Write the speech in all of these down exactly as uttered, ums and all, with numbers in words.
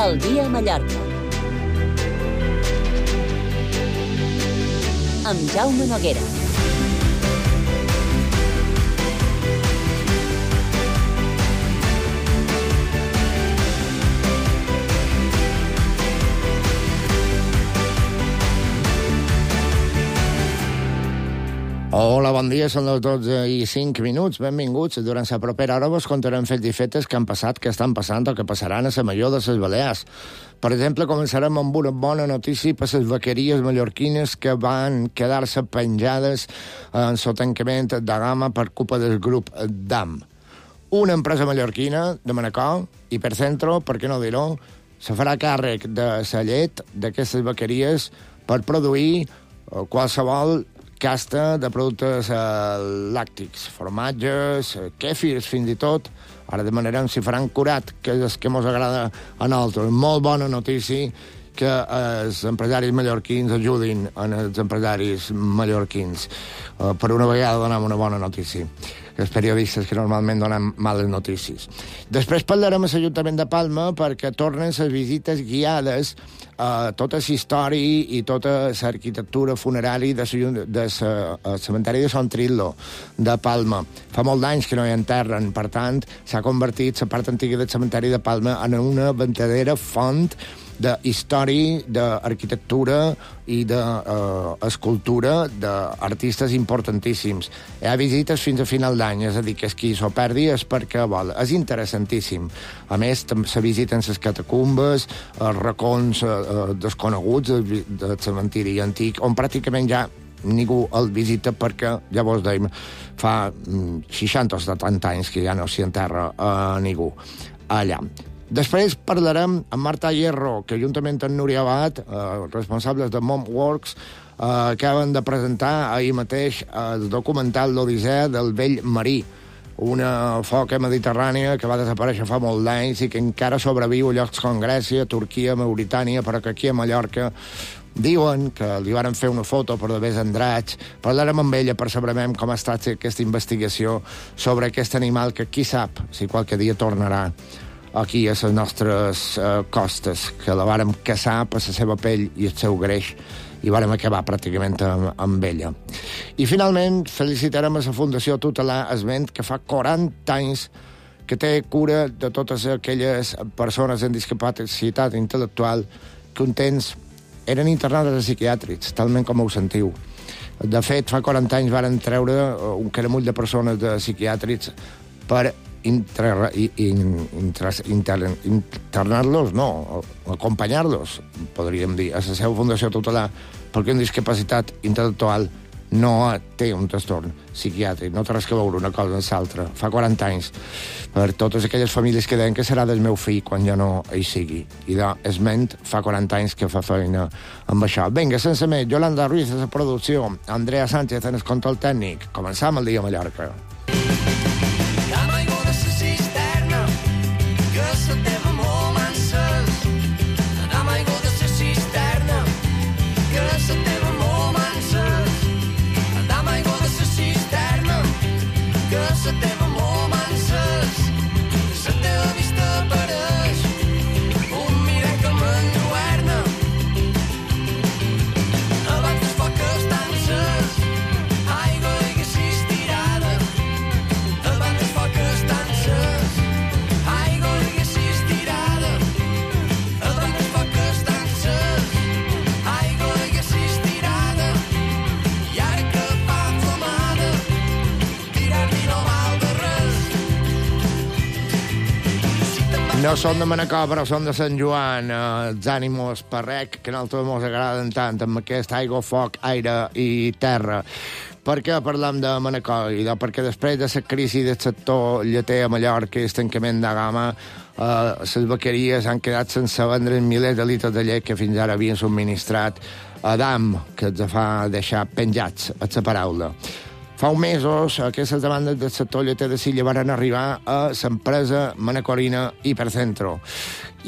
El dia a Mallorca. Amb Jaume Noguera. Hola, bon dia, són les dotze i cinc minuts, benvinguts. Durant la propera hora vos contarem fets i fetes que han passat, que estan passant o que passaran a la Major de les Balears. Per exemple, començarem amb una bona notícia per les vaqueries mallorquines que van quedar-se penjades en el tancament de gamma per culpa del grup D A M. Una empresa mallorquina de Manacor, Hipercentro, per què no dir-ho, se farà càrrec de la llet d'aquestes vaqueries per produir qualsevol casta de productes eh, làctics, formatges, kèfirs, fins i tot. Ara demanarem si faran curat, que és el que ens agrada a nosaltres. Molt bona notícia que els empresaris mallorquins ajudin els empresaris mallorquins. Eh, per una vegada donem una bona notícia. Els periodistes que normalment donen males notícies. Després parlarem a l'Ajuntament de Palma perquè tornen les visites guiades a tota la història i tota l'arquitectura funerària del cementeri de Sant Trillo de Palma. Fa molt d'anys que no hi enterren, per tant, s'ha convertit la part antiga del cementeri de Palma en una verdadera font de història, d'arquitectura i d'escultura d'artistes importantíssims. Hi ha visites fins a final d'any, és a dir, que és qui s'ho perdi és perquè vol. És interessantíssim. A més, se visiten les catacumbes, els racons desconeguts del cementiri antic, on pràcticament ja ningú el visita perquè, ja vos deim, fa seixanta o setanta anys que ja no s'hi enterra a ningú allà. Després parlarem amb Marta Hierro, que juntament amb Núria Abad, eh, responsables de Momworks, eh, acaben de presentar ahir mateix el documental L'Odissea del vell marí, una foca mediterrània que va desaparèixer fa molt d'anys i que encara sobreviu a llocs com Grècia, Turquia, Mauritània, però que aquí a Mallorca diuen que li varen fer una foto per d'haver Andratx. Parlarem amb ella per saber com ha estat aquesta investigació sobre aquest animal que qui sap si qualque dia tornarà aquí a les nostres uh, costes, que la vàrem caçar per la seva pell i el seu greix i vàrem acabar pràcticament amb, amb ella. I finalment felicitarem a la Fundació Tutelar Esment, que fa quaranta anys que té cura de totes aquelles persones amb discapacitat intel·lectual que un temps eren internades a psiquiàtrics, talment com ho sentiu. De fet, fa quaranta anys varen treure un caramull de persones de psiquiàtrics per Inter, inter, inter, internar-los, no, acompanyar-los, podríem dir, a la seva fundació tutelar, perquè una discapacitat intel·lectual no té un trastorn psiquiàtric, no té res que veure una cosa amb l'altra. Fa quaranta anys, per totes aquelles famílies que deien que serà del meu fill quan ja no hi sigui. I de Esment fa quaranta anys que fa feina amb això. Vinga, sense més, Yolanda Ruiz de la producció, Andrea Sánchez en el control tècnic. Començam el dia a Mallorca. No són de Manacor, però són de Sant Joan, eh, els ànimos parrec, que a nosaltres ens agraden tant, amb aquest aigua, foc, aire i terra. Per què parlam de Manacor? I perquè després de la crisi del sector lleter a Mallorca i el tancament de gamma, eh, les vaqueries han quedat sense vendre milers de litres de llet que fins ara havien subministrat a D A M, que els fa deixar penjats a la paraula. Fa uns mesos, aquestes demandes del sector lleter de Silla van arribar a l'empresa manacorina Hipercentro.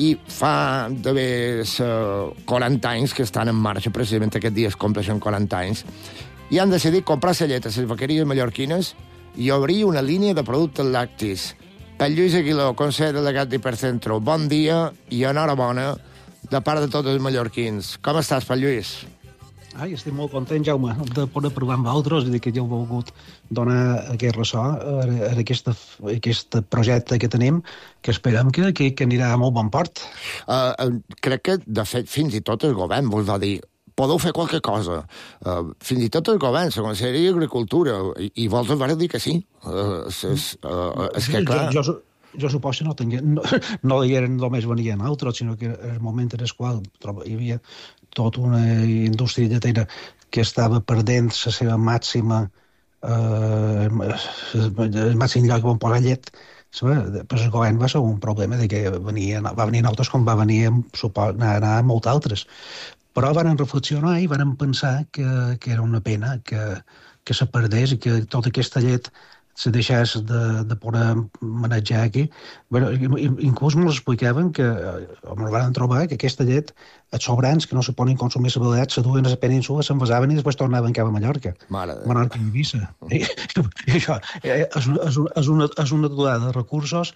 I fa d'haver quaranta anys que estan en marxa, precisament aquest dia es compleixen quaranta anys, i han decidit comprar la llet a les vaqueries mallorquines i obrir una línia de productes lactis El Lluís Aguiló, consell delegat d'Hipercentro, bon dia i enhorabona de part de tots els mallorquins. Com estàs, Pal Lluís? Ai, estic molt content, Jaume, de poder provar amb vosaltres i que ja heu volgut donar aquest ressò a aquest, aquest projecte que tenim, que esperem que, que, que anirà a molt bon port. Uh, uh, crec que, de fet, fins i tot el govern vos va dir podeu fer qualque cosa. Uh, fins i tot el govern, la Conselleria d'Agricultura, i, i vols vas dir que sí. Uh, és, uh, és que, clar... Jo, jo, jo suposo que no, tenia, no, no eren només venien altres, sinó que en el moment en el qual hi havia tota una indústria lletera que estava perdent la seva màxima eh, el màxim lloc on posar llet, pues el govern va ser un problema de que venia, va venir altres com va venir anar, anar molts altres. Però van reflexionar i van pensar que, que era una pena que, que se perdés i que tota aquesta llet se deixés de, de poder manejar aquí. Bueno, inclús ens explicaven que, ens van trobar que aquesta llet, els sobrants que no se poden consumir a la Balear, se duen a la península, s'envasaven i després tornaven cap a Mallorca. Mare de... Menorca i Eivissa. I, i això és, és, és, una, és una aturada de recursos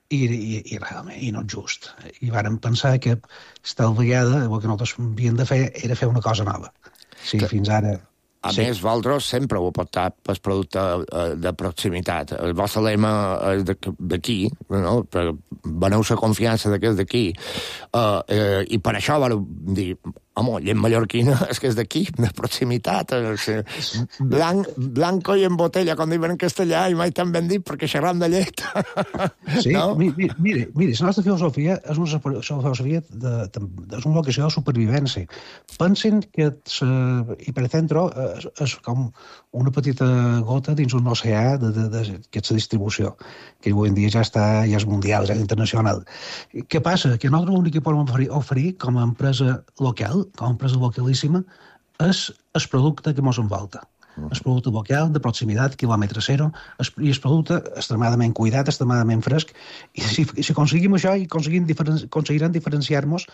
i, i, i realment i no és just. I vàrem pensar que esta vegada el que nosaltres havíem de fer era fer una cosa nova. Sí, que... fins ara... A sí. més, vosaltres sempre ho portat pel producte de proximitat. El vostre lema és d'aquí, no? Veneu la confiança que és d'aquí. Uh, uh, I per això vau dir, home, llet mallorquina és que és d'aquí, de proximitat. Blanc, blanco i en botella, com diuen en castellà, i mai tan ben dit perquè xerram de llet. Sí, no? mire, mire, mire, la nostra filosofia és una filosofia de, de, és una vocació de supervivència. Pensin que Hipercentro és, és com una petita gota dins un oceà d'aquesta distribució, que avui en dia ja està, ja és mundial, ja és internacional. Què passa? Que nosaltres l'únic que podem oferir, oferir com a empresa local, com a empresa localíssima, és el producte que ens envolta. El producte local, de proximitat, quilòmetre zero, i el producte extremadament cuidat, extremadament fresc, i si, si aconseguim això, i aconseguim diferen, aconseguirem diferenciar-nos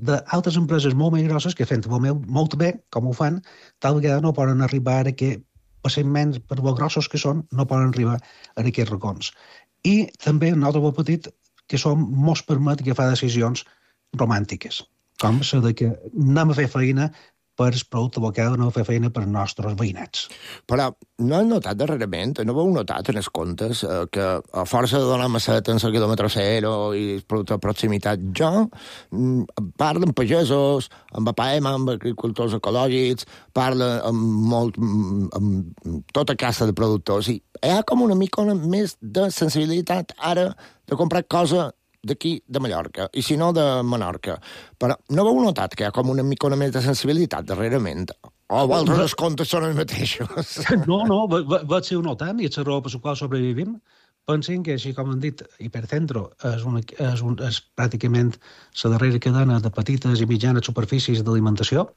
d'altres empreses molt més grosses que fent molt, molt bé, com ho fan, tal vegada no poden arribar a que, passament per lo grossos que són, no poden arribar a aquests racons. I també un altre petit que som, mos permet agafar decisions romàntiques, com la de que anem a fer feina per el producte local, no fer feina per als nostres veïnats. Però no he notat darrerament, no heu notat en els comptes eh, que a força de donar macet en el quilòmetre zero i el producte de proximitat, jo mm, parlo amb pagesos, amb A P A E M, amb agricultors ecològics, parlo amb, molt, amb tota casa de productors, i hi ha com una mica més de sensibilitat ara de comprar cosa d'aquí, de Mallorca, i si no, de Menorca. Però no heu notat que hi ha com una mica més de sensibilitat darrerament? O vosaltres els comptes són els mateixos? No, no, vaig ser notant, i és la raó per la qual sobrevivim. Pensin que, així com han dit, Hipercentro és, una, és, un, és pràcticament la darrera cadena de petites i mitjanes superfícies d'alimentació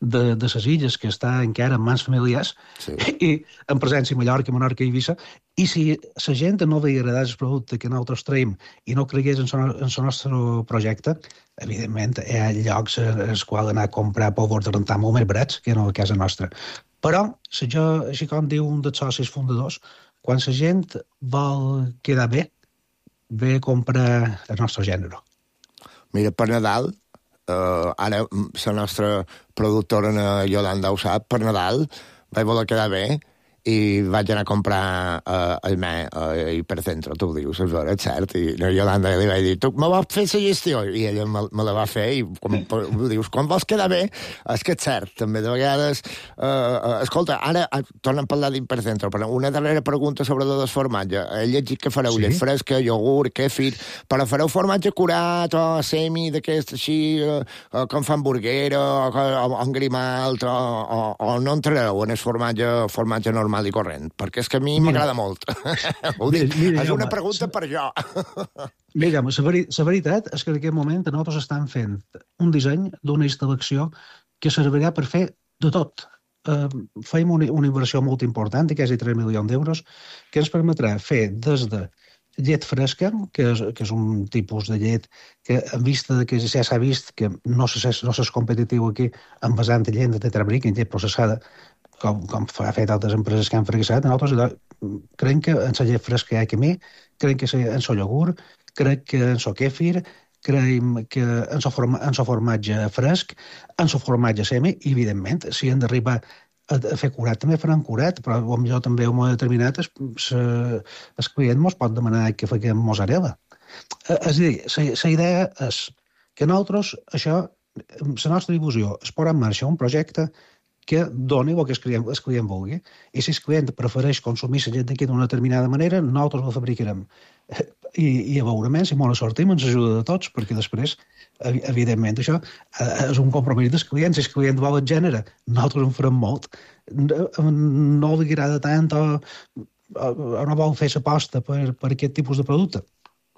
de, de les illes, que està encara en mans familiars, sí. I en presència a Mallorca, Menorca i Eivissa, i si la gent no veia agradar el producte que nosaltres traiem i no cregués en el nostre projecte, evidentment hi ha llocs als quals anar a comprar pòvors de rentar molt més barats que no a casa nostra. Però, si jo, així com diu un dels socis fundadors, quan la gent vol quedar bé, ve a comprar el nostre gènere. Mira, per Nadal, Uh, ara la nostra productora Yolanda ho sap, per Nadal vaig voler quedar bé i vaig anar a comprar uh, el me uh, Hipercentro, tu ho dius, és vera, és cert, i no, Yolanda li vaig dir, tu me vas fer la gestió, i ella me, me la va fer, i com, ho dius, quan vols quedar bé, és que és cert, també, de vegades, uh, uh, escolta, ara uh, tornem a parlar d'Hipercentro, però una darrera pregunta sobre el formatge, he llegit que fareu sí? llet fresca, iogurt, kefir, però fareu formatge curat o semi d'aquest així, uh, uh, com fa hamburguera, o, o, o engrimalt, o, o, o no entrareu en el formatge, formatge normal i corrent, perquè és que a mi m'agrada molt. Ho dic, mira, és una pregunta per jo. Mira, la veri veritat és que en aquest moment nosaltres estem fent un disseny d'una instal·lació que servirà per fer de tot. Uh, fem una, una inversió molt important, de quasi tres milions d'euros, que ens permetrà fer des de llet fresca, que és, que és un tipus de llet que, en vista de que ja s'ha vist que no s'és no competitiu aquí envasant llet de tetrabric, llet processada, com, com ha fet altres empreses que han fracassat, nosaltres creiem que en la llet fresca hi ha camí, creiem que en el iogurt, crec que en el kefir, creiem que en el forma, formatge fresc, en el formatge semi, i evidentment, si han d'arribar a, a fer curat, també faran curat, però potser també en un moment determinat el, el client ens pot demanar que faguem mozzarella. És a dir, la idea és que nosaltres, això, la nostra difusió, es posar en marxa un projecte que doni el que el client, el client vulgui. I si el client prefereix consumir la llet d'aquí d'una determinada manera, nosaltres la fabricarem. I, i a veure més, si molt sortim, ens ajuda de tots, perquè després, evidentment, això és un compromís dels clients. Si el client vol el gènere, nosaltres en farem molt. No li agrada tant o, o no vol fer l'aposta per, per aquest tipus de producte,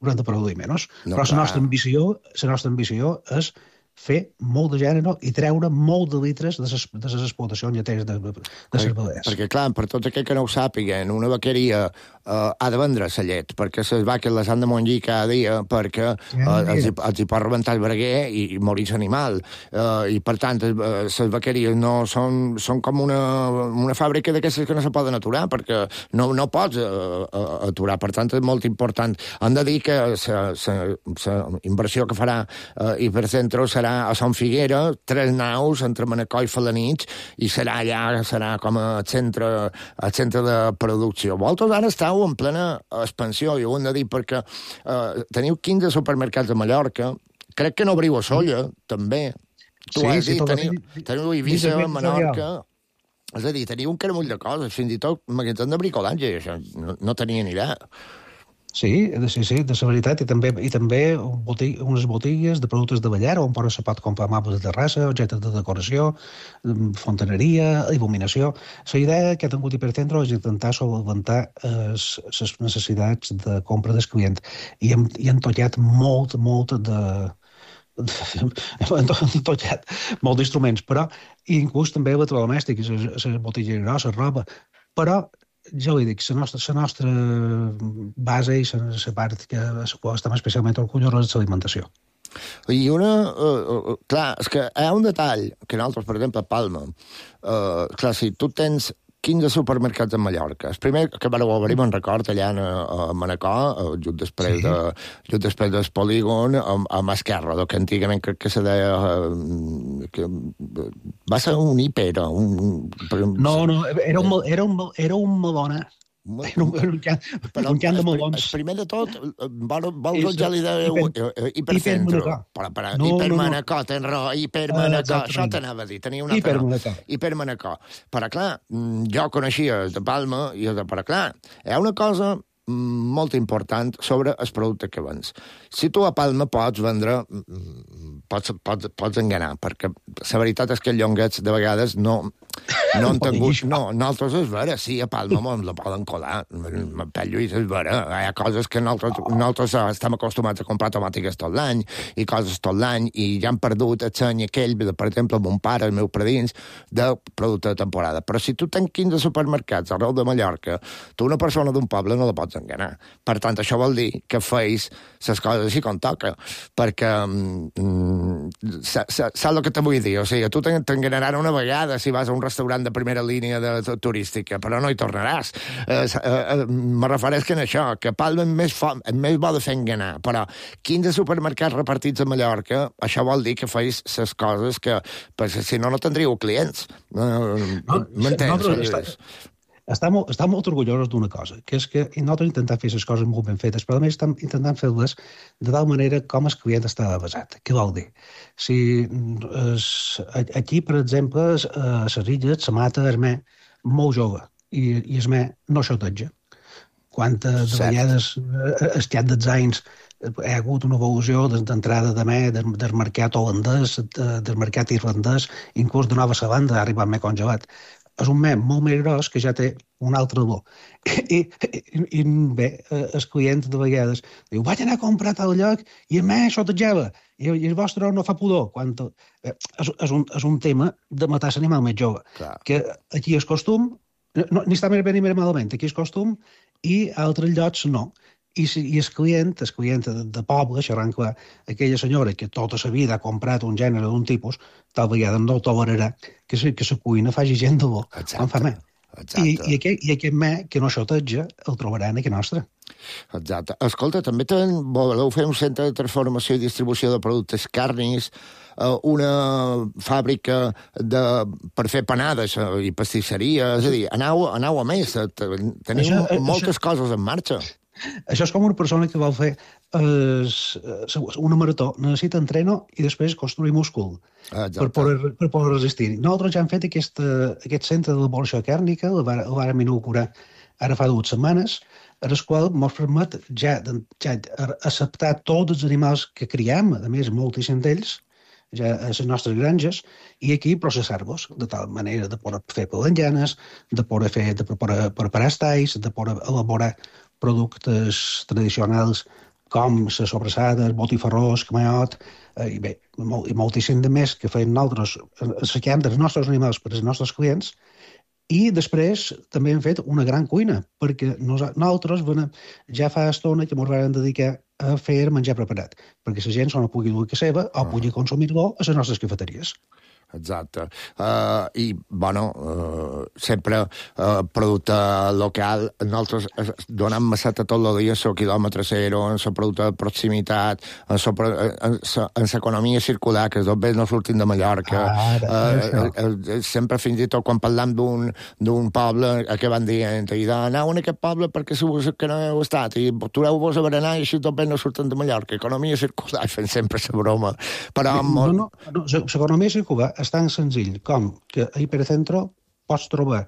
haurem de produir menys. No, però la nostra ambició, la nostra ambició és fer molt de gènere i treure molt de litres de les, de les explotacions lleteres de, de, de les balears. Perquè, clar, per tot aquell que no ho sàpiguen, una vaqueria eh, ha de vendre la llet, perquè les vaques les han de mongir cada dia, perquè eh, els, els hi pot rebentar el breguer i, i morir l'animal. Eh, I, per tant, les vaqueries no són, són com una, una fàbrica d'aquestes que no se poden aturar, perquè no, no pots eh, aturar. Per tant, és molt important. Han de dir que la inversió que farà eh, Hipercentro serà a Son Figuera, tres naus entre Manacor i Felanitx, i serà allà, serà com a centre, a centre de producció. Vosaltres ara esteu en plena expansió, i ho hem de dir, perquè eh, teniu quinze supermercats a Mallorca, crec que no obriu a Solla, també. Tu sí, has sí, dit, teniu, teniu Eivissa, Menorca... És a dir, teniu un caramull de coses, fins i tot magatzem de bricolatge, i això no, no tenia ni idea. Sí, sí, sí, de la veritat, i també, i també botig, unes botigues de productes de ballar on se pot comprar mapes de terrassa, objectes de decoració, fontaneria, il·luminació. La idea que ha tingut Hipercentro és intentar solventar les necessitats de compra del client, i hem, i hem tallat molt, molt de... hem tallat molt d'instruments, però inclús també electrodomèstics, les botigues grosses, roba, però ja ho dic, la nostra, la nostra base i la part que estem especialment orgullosos és l'alimentació. I una... Uh, uh, clar, és que hi ha un detall que nosaltres, per exemple, a Palma, uh, clar, si tu tens quinze supermercats a Mallorca. El primer que vareu obrir, me'n record, allà a Manacor, just després, sí. de, just després del polígon, a, a Masquerra, que antigament crec que se deia... Que va ser un hiper, un... No, no, era un, era un, era un Madonna. Era un, era un, can, però un can de melons. El primer de tot, vol, vol que ja li deu Hipercentro. Però, però, no, Hipermanacor, no, no. tens raó, Hipermanacor, uh, això t'anava a dir, tenia una altra Hipermanacor. Hipermanacor. Però, clar, jo coneixia de Palma, i però, clar, hi ha una cosa molt important sobre el producte que vens. Si tu a Palma pots vendre, pots, pots, pots enganar, perquè la veritat és que els llonguets de vegades no, no han tingut... No, nosaltres és vera, sí, a Palma ens la poden colar. Per Lluís és vera. Hi ha coses que nosaltres, nosaltres estem acostumats a comprar tomàtiques tot l'any, i coses tot l'any, i ja han perdut el seny aquell, per exemple, mon pare, els meus predins, de producte de temporada. Però si tu tens quinze supermercats arreu de Mallorca, tu una persona d'un poble no la pots enganar. Per tant, això vol dir que feis les coses així com toca, perquè mm, saps el que te vull dir? O sigui, tu t'enganaran una vegada si vas a un restaurant de primera línia de, de turística, però no hi tornaràs. Eh, eh, me refereix que en això, que Palma és més, fo, és més bo de fer enganar, però quinze supermercats repartits a Mallorca, això vol dir que feis les coses que, perquè si no, no tindríeu clients. Eh, no, M'entens? No, Estem, estem molt orgullosos d'una cosa, que és que nosaltres intentem fer les coses molt ben fetes, però a més estem intentant fer-les de tal manera com el client està basat. Què vol dir? Si es, aquí, per exemple, a les illes se mata el me molt jove i, i el me no xoteja. Quantes de vegades al llarg dels anys hi ha hagut una evolució d'entrada de me del mercat holandès, del mercat irlandès, inclús de Nova Zelanda ha arribat me congelat. És un mem molt més gros que ja té un altre olor. I, i, i bé, el client de vegades diu, vaig anar a comprar a tal lloc i a més xotejava, i, i el vostre no fa pudor. Quan... Eh, és, és, un, és un tema de matar l'animal més jove. Clar. Que aquí és costum, no, ni està més bé ni més malament, aquí és costum, i a altres llocs no. I, si, i el client, el client de, de poble, xerrant clar, aquella senyora que tota la vida ha comprat un gènere d'un tipus, tal vegada no tolerarà que la que cuina faci gent de bo, quan fa més. I, i, aquest, I aquest me que no xoteja el trobaran aquí nostre. Exacte. Escolta, també ten, voleu fer un centre de transformació i distribució de productes carnis, una fàbrica de, per fer panades i pastisseria, és a dir, aneu, aneu a més, teniu això, moltes això, coses en marxa. Això és com una persona que vol fer eh, una marató, necessita entreno i després construir múscul per poder, per poder resistir. Nosaltres ja hem fet aquest, aquest centre d'elaboració càrnica, el vàrem inaugurar ara fa dues setmanes, en el qual ens permet ja, ja acceptar tots els animals que criem, a més moltíssim d'ells, ja a les nostres granges, i aquí processar-los de tal manera de poder fer pelanyanes, de poder fer, de poder preparar estais, de poder elaborar productes tradicionals com les sobrassades, botifarrós, camaiot, eh, i bé, molt, i moltíssim de més que feien nosaltres, assequem dels nostres animals per als nostres clients, i després també hem fet una gran cuina, perquè nosaltres ja fa estona que ens vam dedicar a fer menjar preparat, perquè la gent se no pugui dur a casa seva o pugui consumir-lo a les nostres cafeteries. Exacte. Uh, I, bueno, uh, sempre uh, producte local. Nosaltres donem masseta tot el dia en el quilòmetre zero, en el producte de proximitat, en l'economia circular, que tot bé no sortim de Mallorca. Ah, uh, uh, uh, sempre, fins i tot, quan parlam d'un poble, que van dient, i aneu en aquest poble perquè segur que no heu estat, i tureu-vos a berenar i així tot bé no surten de Mallorca. Economia circular, fent sempre la broma. Però no, no, no, l'economia circular és tan senzill com que a Hipercentro pots trobar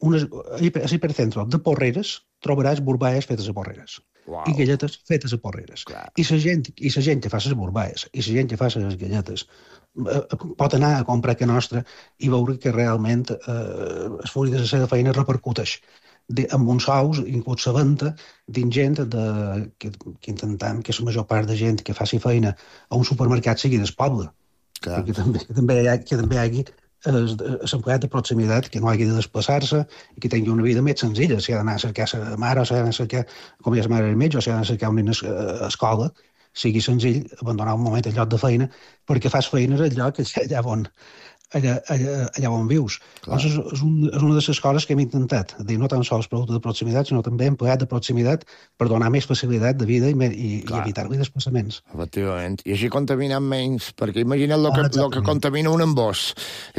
unes, a Hipercentro de Porreres trobaràs burbaes fetes a Porreres. Wow. I galletes fetes a Porreres. Clar. I la gent, i la gent que fa les burbaes i la gent que fa les galletes eh, pot anar a comprar que nostra i veure que realment eh, el fruit de la seva feina repercuteix de, amb uns sous, inclús la venda dins gent de, que, que intentem que la major part de gent que faci feina a un supermercat sigui del poble. Clar. Que també, que també hi ha, que també hi hagi l'empleat de proximitat que no hagi de desplaçar-se i que tingui una vida més senzilla. Si ha d'anar a cercar la mare, o si ha d'anar a cercar, com ja la mare del metge, o si ha d'anar a cercar una escola, sigui senzill abandonar un moment el lloc de feina perquè fas feina al lloc allà on, allà, allà, allà on vius. Doncs és, és, un, és una de les coses que hem intentat, dir no tan sols producte de proximitat, sinó també empleat de proximitat per donar més facilitat de vida i, i, i evitar-li desplaçaments. Efectivament. I així contaminem menys, perquè imagina't el que, ah, que contamina un embòs.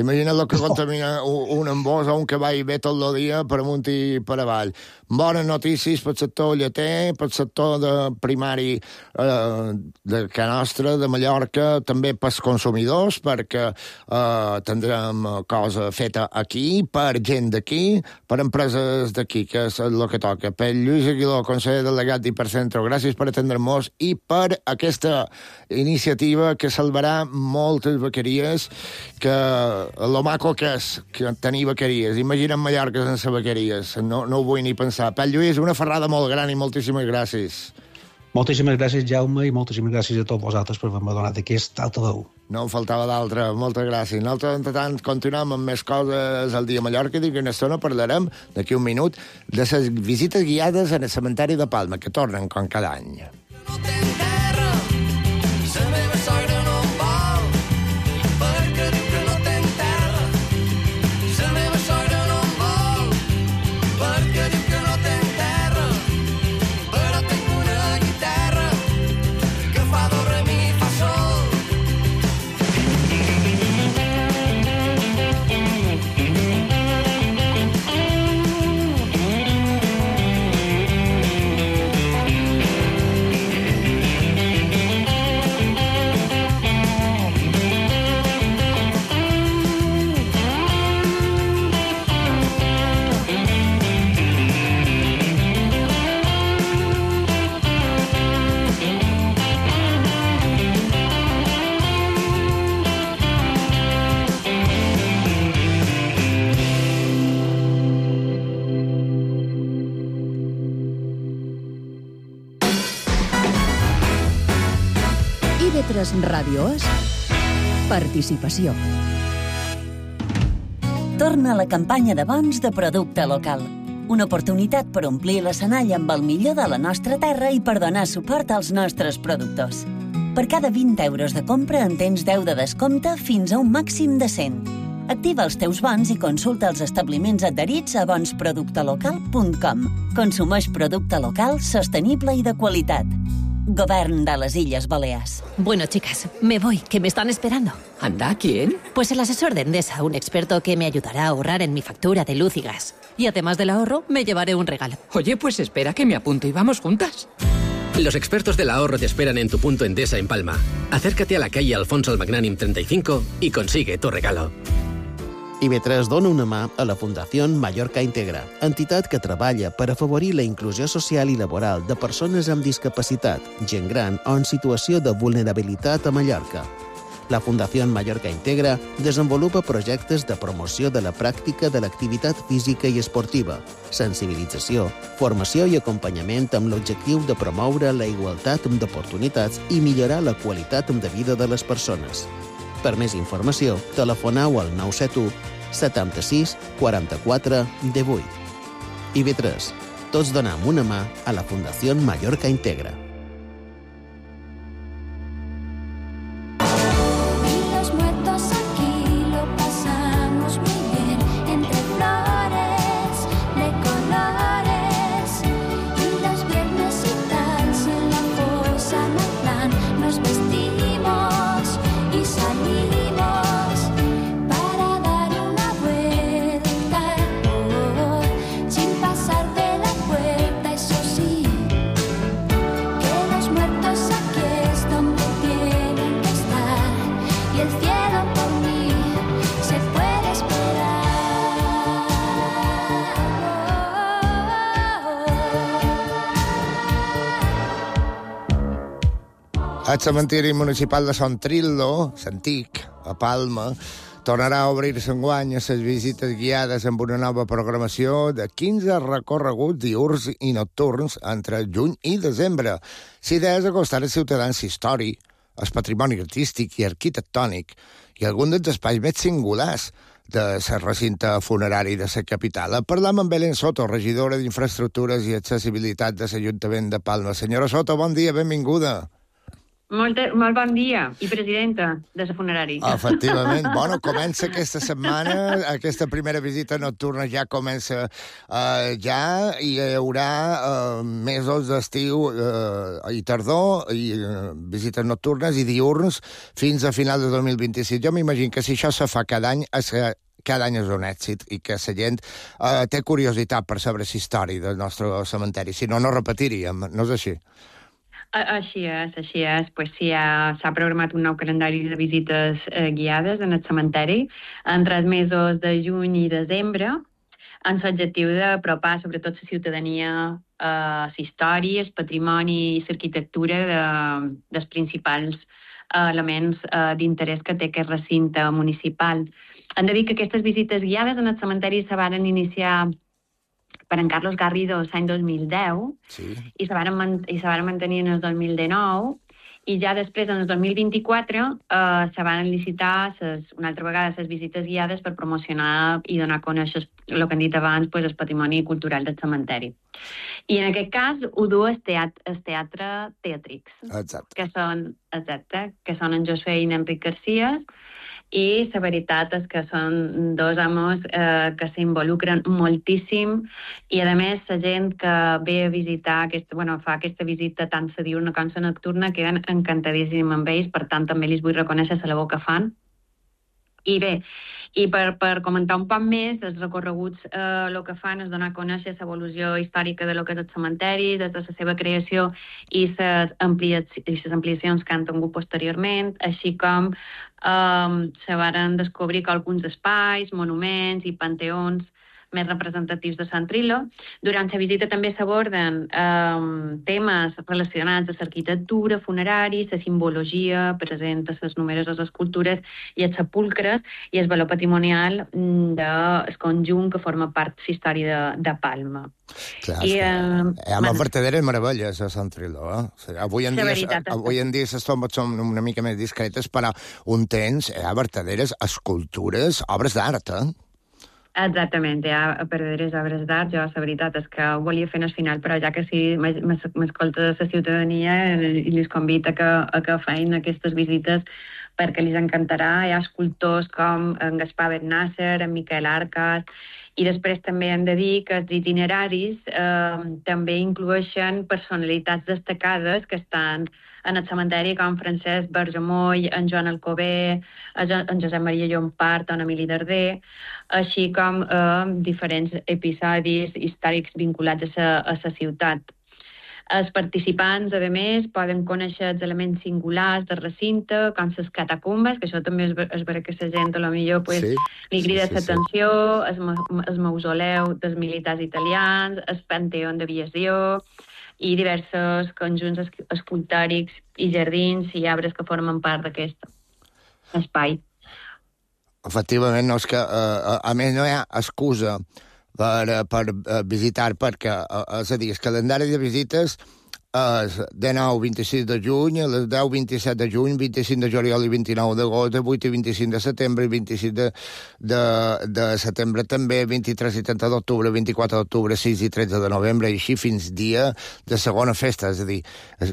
Imagina't el que oh. contamina un embòs o un cavall ve tot el dia per amunt i per avall. Bones notícies pel sector lleter, pel sector de primari eh, de Can Nostra, de Mallorca, també pels consumidors, perquè eh, tindrem cosa feta aquí, per gent d'aquí, per empreses d'aquí, que és el que toca. Per Lluís Aguiló, conseller delegat d'Hipercentro, gràcies per atendre-nos i per aquesta iniciativa que salvarà moltes bequeries, que lo maco que és que tenir bequeries. Imagina't Mallorca sense bequeries. No, no ho vull ni pensar. Per Lluís, una ferrada molt gran i moltíssimes gràcies. Moltíssimes gràcies, Jaume, i moltíssimes gràcies a tots vosaltres per haver-me donat aquest altaveu. No en faltava d'altra. Moltes gràcies. Nosaltres, entre tant, continuem amb més coses al dia a Mallorca i d'aquí una estona parlarem, d'aquí un minut, de les visites guiades en el cementeri de Palma, que tornen com cada any. No tens terra, la meva sogra no em vol, perquè diu que no tens terra. La meva sogra no em vol, perquè diu que no tens terra. Però tinc una guitarra que fa do, re, mi, fa, sol. I V tres Ràdio és participació. Torna la campanya de bons de producte local. Una oportunitat per omplir l'escenari amb el millor de la nostra terra i per donar suport als nostres productors. Per cada vint euros de compra en tens deu de descompte fins a un màxim de cent. Activa els teus bons i consulta els establiments adherits a bons producte local punt com. Consumeix producte local, sostenible i de qualitat. Govern de les Illes Balears. Bueno, chicas, me voy, que me están esperando. ¿Anda? ¿Quién? Pues el asesor de Endesa, un experto que me ayudará a ahorrar en mi factura de luz y gas. Y además del ahorro, me llevaré un regalo. Oye, pues espera que me apunto y vamos juntas. Los expertos del ahorro te esperan en tu punto Endesa en Palma. Acércate a la calle Alfonso el Magnànim treinta y cinco y consigue tu regalo. I B tres dona una mà a la Fundació Mallorca Integra, entitat que treballa per afavorir la inclusió social i laboral de persones amb discapacitat, gent gran o en situació de vulnerabilitat a Mallorca. La Fundació Mallorca Integra desenvolupa projectes de promoció de la pràctica de l'activitat física i esportiva, sensibilització, formació i acompanyament amb l'objectiu de promoure la igualtat d'oportunitats i millorar la qualitat de vida de les persones. Per més informació, telefoneu al nou set u setanta-sis quaranta-quatre divuit. I B tres. Tots donem una mà a la Fundació Mallorca Integra. El cementiri municipal de Son Trillo, l'antic, a Palma, tornarà a obrir-se enguany a les visites guiades amb una nova programació de quinze recorreguts diürns i nocturns entre juny i desembre. L'idea és acostar als ciutadans història, el patrimoni artístic i arquitectònic i algun dels espais més singulars de la recinte funerari de la capital. Parlam amb Belén Soto, regidora d'Infraestructures i Accessibilitat de l'Ajuntament de Palma. Senyora Soto, bon dia, benvinguda. Molt, molt bon dia, i presidenta de la funerari. Efectivament. Bueno, comença aquesta setmana, aquesta primera visita nocturna ja comença uh, ja, i hi haurà uh, mesos d'estiu uh, i tardor, i uh, visites nocturnes i diürns fins a final de dos mil vint-i-sis. Jo m'imagino que si això se fa cada any, és que cada any és un èxit i que la gent uh, té curiositat per saber la història del nostre cementeri. Si no, no repetiríem, no és així? Així és, així és. Pues sí, s'ha programat un nou calendari de visites eh, guiades en el cementeri entre els mesos de juny i desembre, amb l'objectiu d'apropar sobretot la ciutadania a la història, el patrimoni i l'arquitectura de, dels principals eh, elements eh, d'interès que té aquest recinte municipal. Hem de dir que aquestes visites guiades en el cementeri se van iniciar per en Carlos Garrido l'any dos mil deu, sí. i se van mantenir en el dos mil dinou, i ja després, en el dos mil vint-i-quatre, eh, se van licitar ses, una altra vegada les visites guiades per promocionar i donar a conèixer el que hem dit abans, pues, el patrimoni cultural del cementeri. I en aquest cas ho du el teatre, el teatre Teatrix, exacte. que són, exacte, que són en Josué i en Enric Garcia, i la veritat és que són dos homes eh, que s'involucren moltíssim i, a més, la gent que ve a visitar, aquesta, bueno, fa aquesta visita tant la diurna com la nocturna, queden encantadíssim amb ells, per tant, també els vull reconèixer la labor que fan. I bé, i per, per comentar un poc més, els recorreguts eh, el que fan és donar a conèixer l'evolució històrica de lo que és el cementeri, des de la seva creació i les ampliacions que han tingut posteriorment, així com eh, se varen descobrir que alguns espais, monuments i panteons més representatius de Sant Trillo. Durant la visita també s'aborden eh, temes relacionats amb l'arquitectura, funeraris, la simbologia present a les numeroses escultures i els sepulcres i el valor patrimonial del conjunt que forma part de la història de, de Palma. Clar, I, eh, hi ha man... verdaderes meravelles a Sant Trillo. Eh? O sigui, avui en dia, veritat, avui en dia les tombes són una mica més discretes, però un temps hi ha verdaderes escultures, obres d'art, eh? Exactament, ja a perder les obres d'art, jo la veritat és que ho volia fer en el final, però ja que sí, m'escolta la ciutadania i les convita a que, a que feien aquestes visites perquè els encantarà. Hi ha escultors com en Gaspar Bernasser, en Miquel Arcas, i després també hem de dir que els itineraris eh, també incloeixen personalitats destacades que estan en el cementeri, com Francesc Bergemoll, en Joan Alcover, en Josep Maria Llompart, en Emili Darder, així com eh, diferents episodis històrics vinculats a la ciutat. Els participants, a més, poden conèixer els elements singulars del recinte, com les catacumbes, que això també és, és vera que la gent, a lo millor, pues, sí, li crida sí, sí, l'atenció, sí. el, el mausoleu dels militars italians, el panteó d'aviació i diversos conjunts escultòrics i jardins i arbres que formen part d'aquest espai. Efectivament, no, és que, a, a més, no hi ha excusa per, per visitar, perquè, és a dir, el calendari de visites és de nou a vint-i-sis de juny, a les deu a vint-i-set de juny, vint-i-cinc de juliol i vint-i-nou d'agost, vuit i vint-i-cinc de setembre, vint-i-sis de, de, de setembre també, vint-i-tres i trenta d'octubre, vint-i-quatre d'octubre, sis i tretze de novembre, i així fins dia de segona festa. És a dir,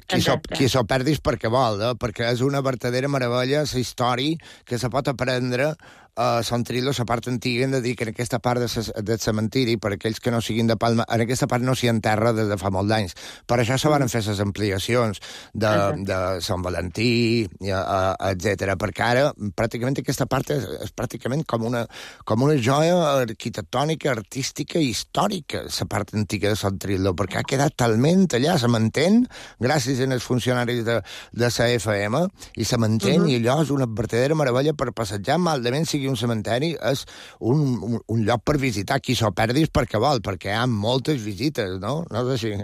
qui s'ho, qui s'ho perdis perquè vol, eh? Perquè és una vertadera meravella, la història que se pot aprendre a Sant Trillo, la part antiga, hem de dir que en aquesta part de ses, del cementiri, per aquells que no siguin de Palma, en aquesta part no s'hi enterra des de fa molt d'anys. Per això se van fer les ampliacions de, de Sant Valentí, etcètera, perquè ara pràcticament aquesta part és, és pràcticament com una, com una joia arquitectònica, artística i històrica, la part antiga de Sant Trillo, perquè ha quedat talment allà, se mantén, gràcies als funcionaris de, de la F M, i se mantén, uh-huh. I allò és una vertadera meravella per passejar, maldament sigui un cementeri, és un, un, un lloc per visitar. Qui s'ho perdis perquè vol, perquè hi ha moltes visites, no? No és així?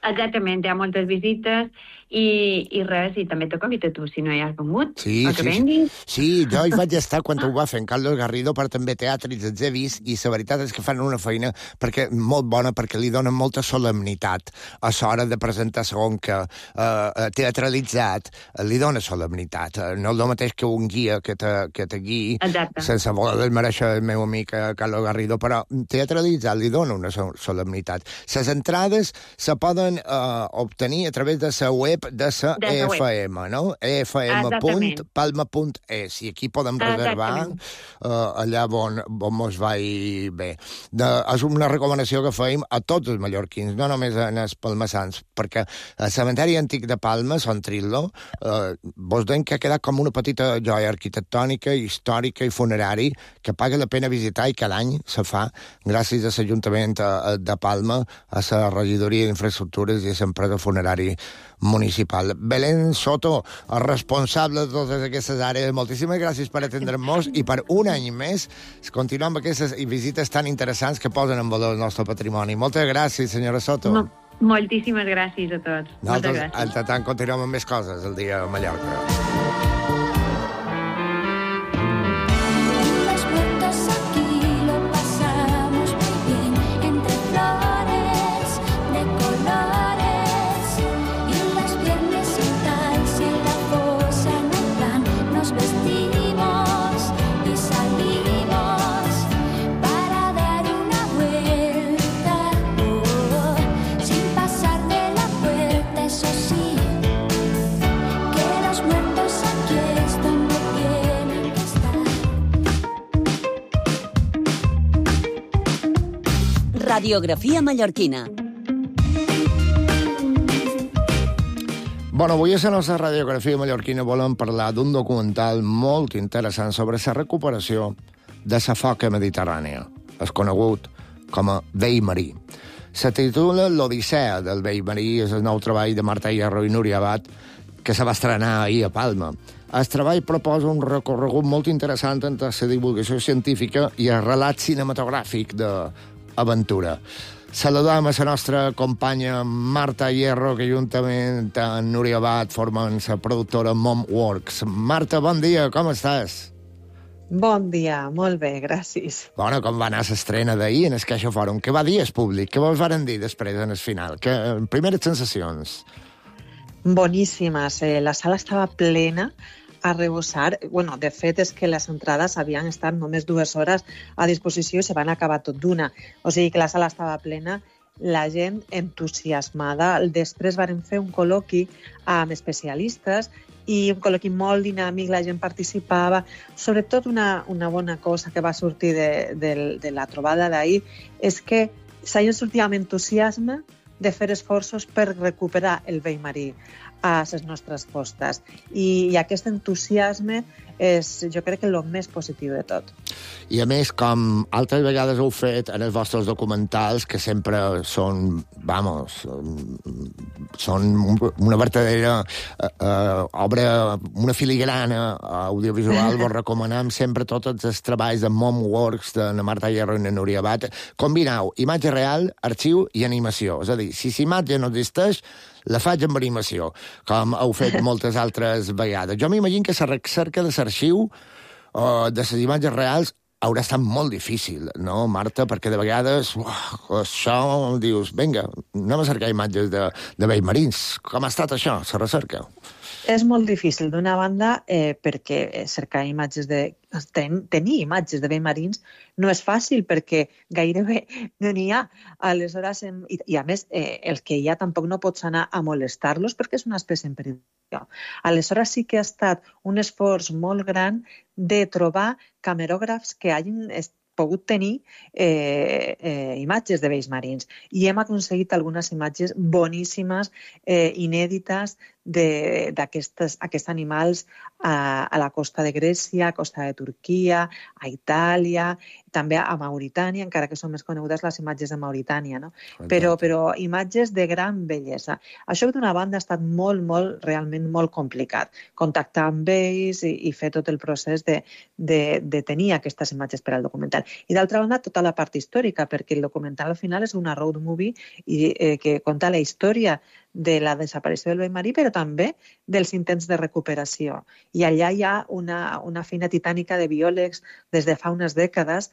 Exactament, hi ha moltes visites i, i res, i també te convida tu, si no hi has vengut, sí, o que sí, venguis. Sí, jo hi vaig estar quan ho va fer en Carlos Garrido, per també teatres els he vist, i la veritat és que fan una feina perquè molt bona, perquè li donen molta solemnitat a l'hora de presentar segon que eh, teatralitzat, li dona solemnitat. No és el mateix que un guia que te, que te guiï, sense voler desmereixer el meu amic Carlos Garrido, però teatralitzat li dona una solemnitat. Les entrades se poden eh, obtenir a través de la web de la F M, no? e f m punt palma punt e s, i aquí podem reservar uh, allà on, on mos vai bé. De, és una recomanació que fèiem a tots els mallorquins, no només en els palmassans, perquè el cementeri antic de Palma, Sant Trillo, uh, vos deim que ha quedat com una petita joia arquitectònica, històrica i funerari que paga la pena visitar i cada any se fa gràcies a l'Ajuntament de Palma, a la regidoria d'Infraestructures i a l'empresa funerari municipal. Belén Soto, el responsable de totes aquestes àrees, moltíssimes gràcies per atendre'ns i per un any més continuar amb aquestes visites tan interessants que posen en valor el nostre patrimoni. Moltes gràcies, senyora Soto. Mo moltíssimes gràcies a tots. Nosaltres, entretant, continuem amb més coses el dia a Mallorca. Radiografia mallorquina. Bueno, avui a la nostra radiografia mallorquina volem parlar d'un documental molt interessant sobre la recuperació de la foca mediterrània, és conegut com a vell marí. Se titula L'Odissea del vell marí, és el nou treball de Marta Hierro i Núria Abad, que se va estrenar ahir a Palma. El treball proposa un recorregut molt interessant entre la divulgació científica i el relat cinematogràfic d'aventura. Saludem a la nostra companya Marta Hierro, que juntament amb Núria Abad formen la productora Momworks. Marta, bon dia, com estàs? Bon dia, molt bé, gràcies. Bueno, com va anar l'estrena d'ahir en el Caixa Fòrum? Què va dir el públic? Què vos varen dir després en el final? Que, primeres sensacions? Boníssimes. Eh, la sala estava plena. arrebossar. Bueno, de fet, és que les entrades havien estat només dues hores a disposició i se van acabar tot d'una. O sigui que la sala estava plena, la gent entusiasmada. Després varen fer un col·loqui amb especialistes i un col·loqui molt dinàmic, la gent participava. Sobretot una, una bona cosa que va sortir de, de, de la trobada d'ahir és que la gent sortia amb entusiasme de fer esforços per recuperar el vell marí a les nostres costes. I, i aquest entusiasme és, jo crec, que el més positiu de tot. I a més, com altres vegades heu fet en els vostres documentals, que sempre són, vamos, són una verdadera eh, eh, obra, una filigrana audiovisual, vos recomanem sempre tots els treballs de Momworks, de la Marta Hierro i la Núria Abad. Combineu imatge real, arxiu i animació. És a dir, si l'imatge no existeix, la faig amb animació, com heu fet moltes altres vegades. Jo m'imagino que la recerca de l'arxiu uh, de les imatges reals haurà estat molt difícil, no, Marta? Perquè de vegades, uah, això, dius, vinga, anem a cercar imatges de, de vells marins. Com ha estat això, la recerca? És molt difícil, d'una banda, eh, perquè cercar imatges de... Ten, tenir imatges de vells marins no és fàcil, perquè gairebé no n'hi ha. Aleshores, em, i, i a més, eh, el que hi ha tampoc no pots anar a molestar-los perquè és una espècie en perill. Aleshores sí que ha estat un esforç molt gran de trobar camerògrafs que hagin pogut tenir eh, eh, imatges de vells marins. I hem aconseguit algunes imatges boníssimes, eh, inèdites, d'aquests animals a, a la costa de Grècia, a costa de Turquia, a Itàlia, també a Mauritània, encara que són més conegudes les imatges de Mauritània, no? Però, però imatges de gran bellesa. Això d'una banda ha estat molt, molt, realment molt complicat. Contactar amb ells i, i fer tot el procés de, de, de tenir aquestes imatges per al documental. I d'altra banda, tota la part històrica, perquè el documental al final és una road movie i, eh, que conta la història de la desaparició del vell marí, però també dels intents de recuperació. I allà hi ha una, una feina titànica de biòlegs des de fa unes dècades,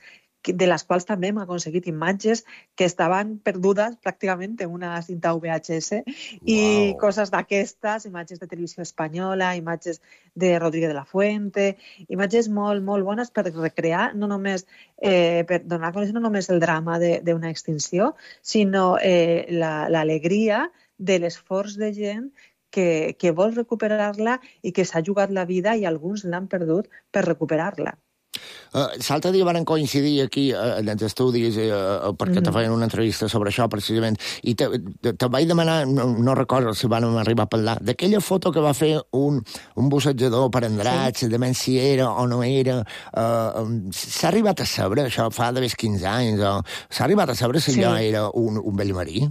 de les quals també hem aconseguit imatges que estaven perdudes pràcticament en una cinta V H S i wow. Coses d'aquestes, imatges de televisió espanyola, imatges de Rodríguez de la Fuente, imatges molt, molt bones per recrear, no només, eh, per donar a conèixer no només el drama d'una extinció, sinó eh, l'alegria de l'esforç de gent que, que vol recuperar-la i que s'ha jugat la vida i alguns l'han perdut per recuperar-la. Uh, L'altre dia van coincidir aquí uh, en els estudis uh, perquè mm. te feien una entrevista sobre això precisament i te, te, te vaig demanar, no, no recordo si van arribar a parlar, d'aquella foto que va fer un, un bussejador per Andratx, sí. De menys si era o no era, uh, s'ha arribat a saber això fa d'haver quinze anys, o s'ha arribat a saber si sí. Allò era un, un vell marí?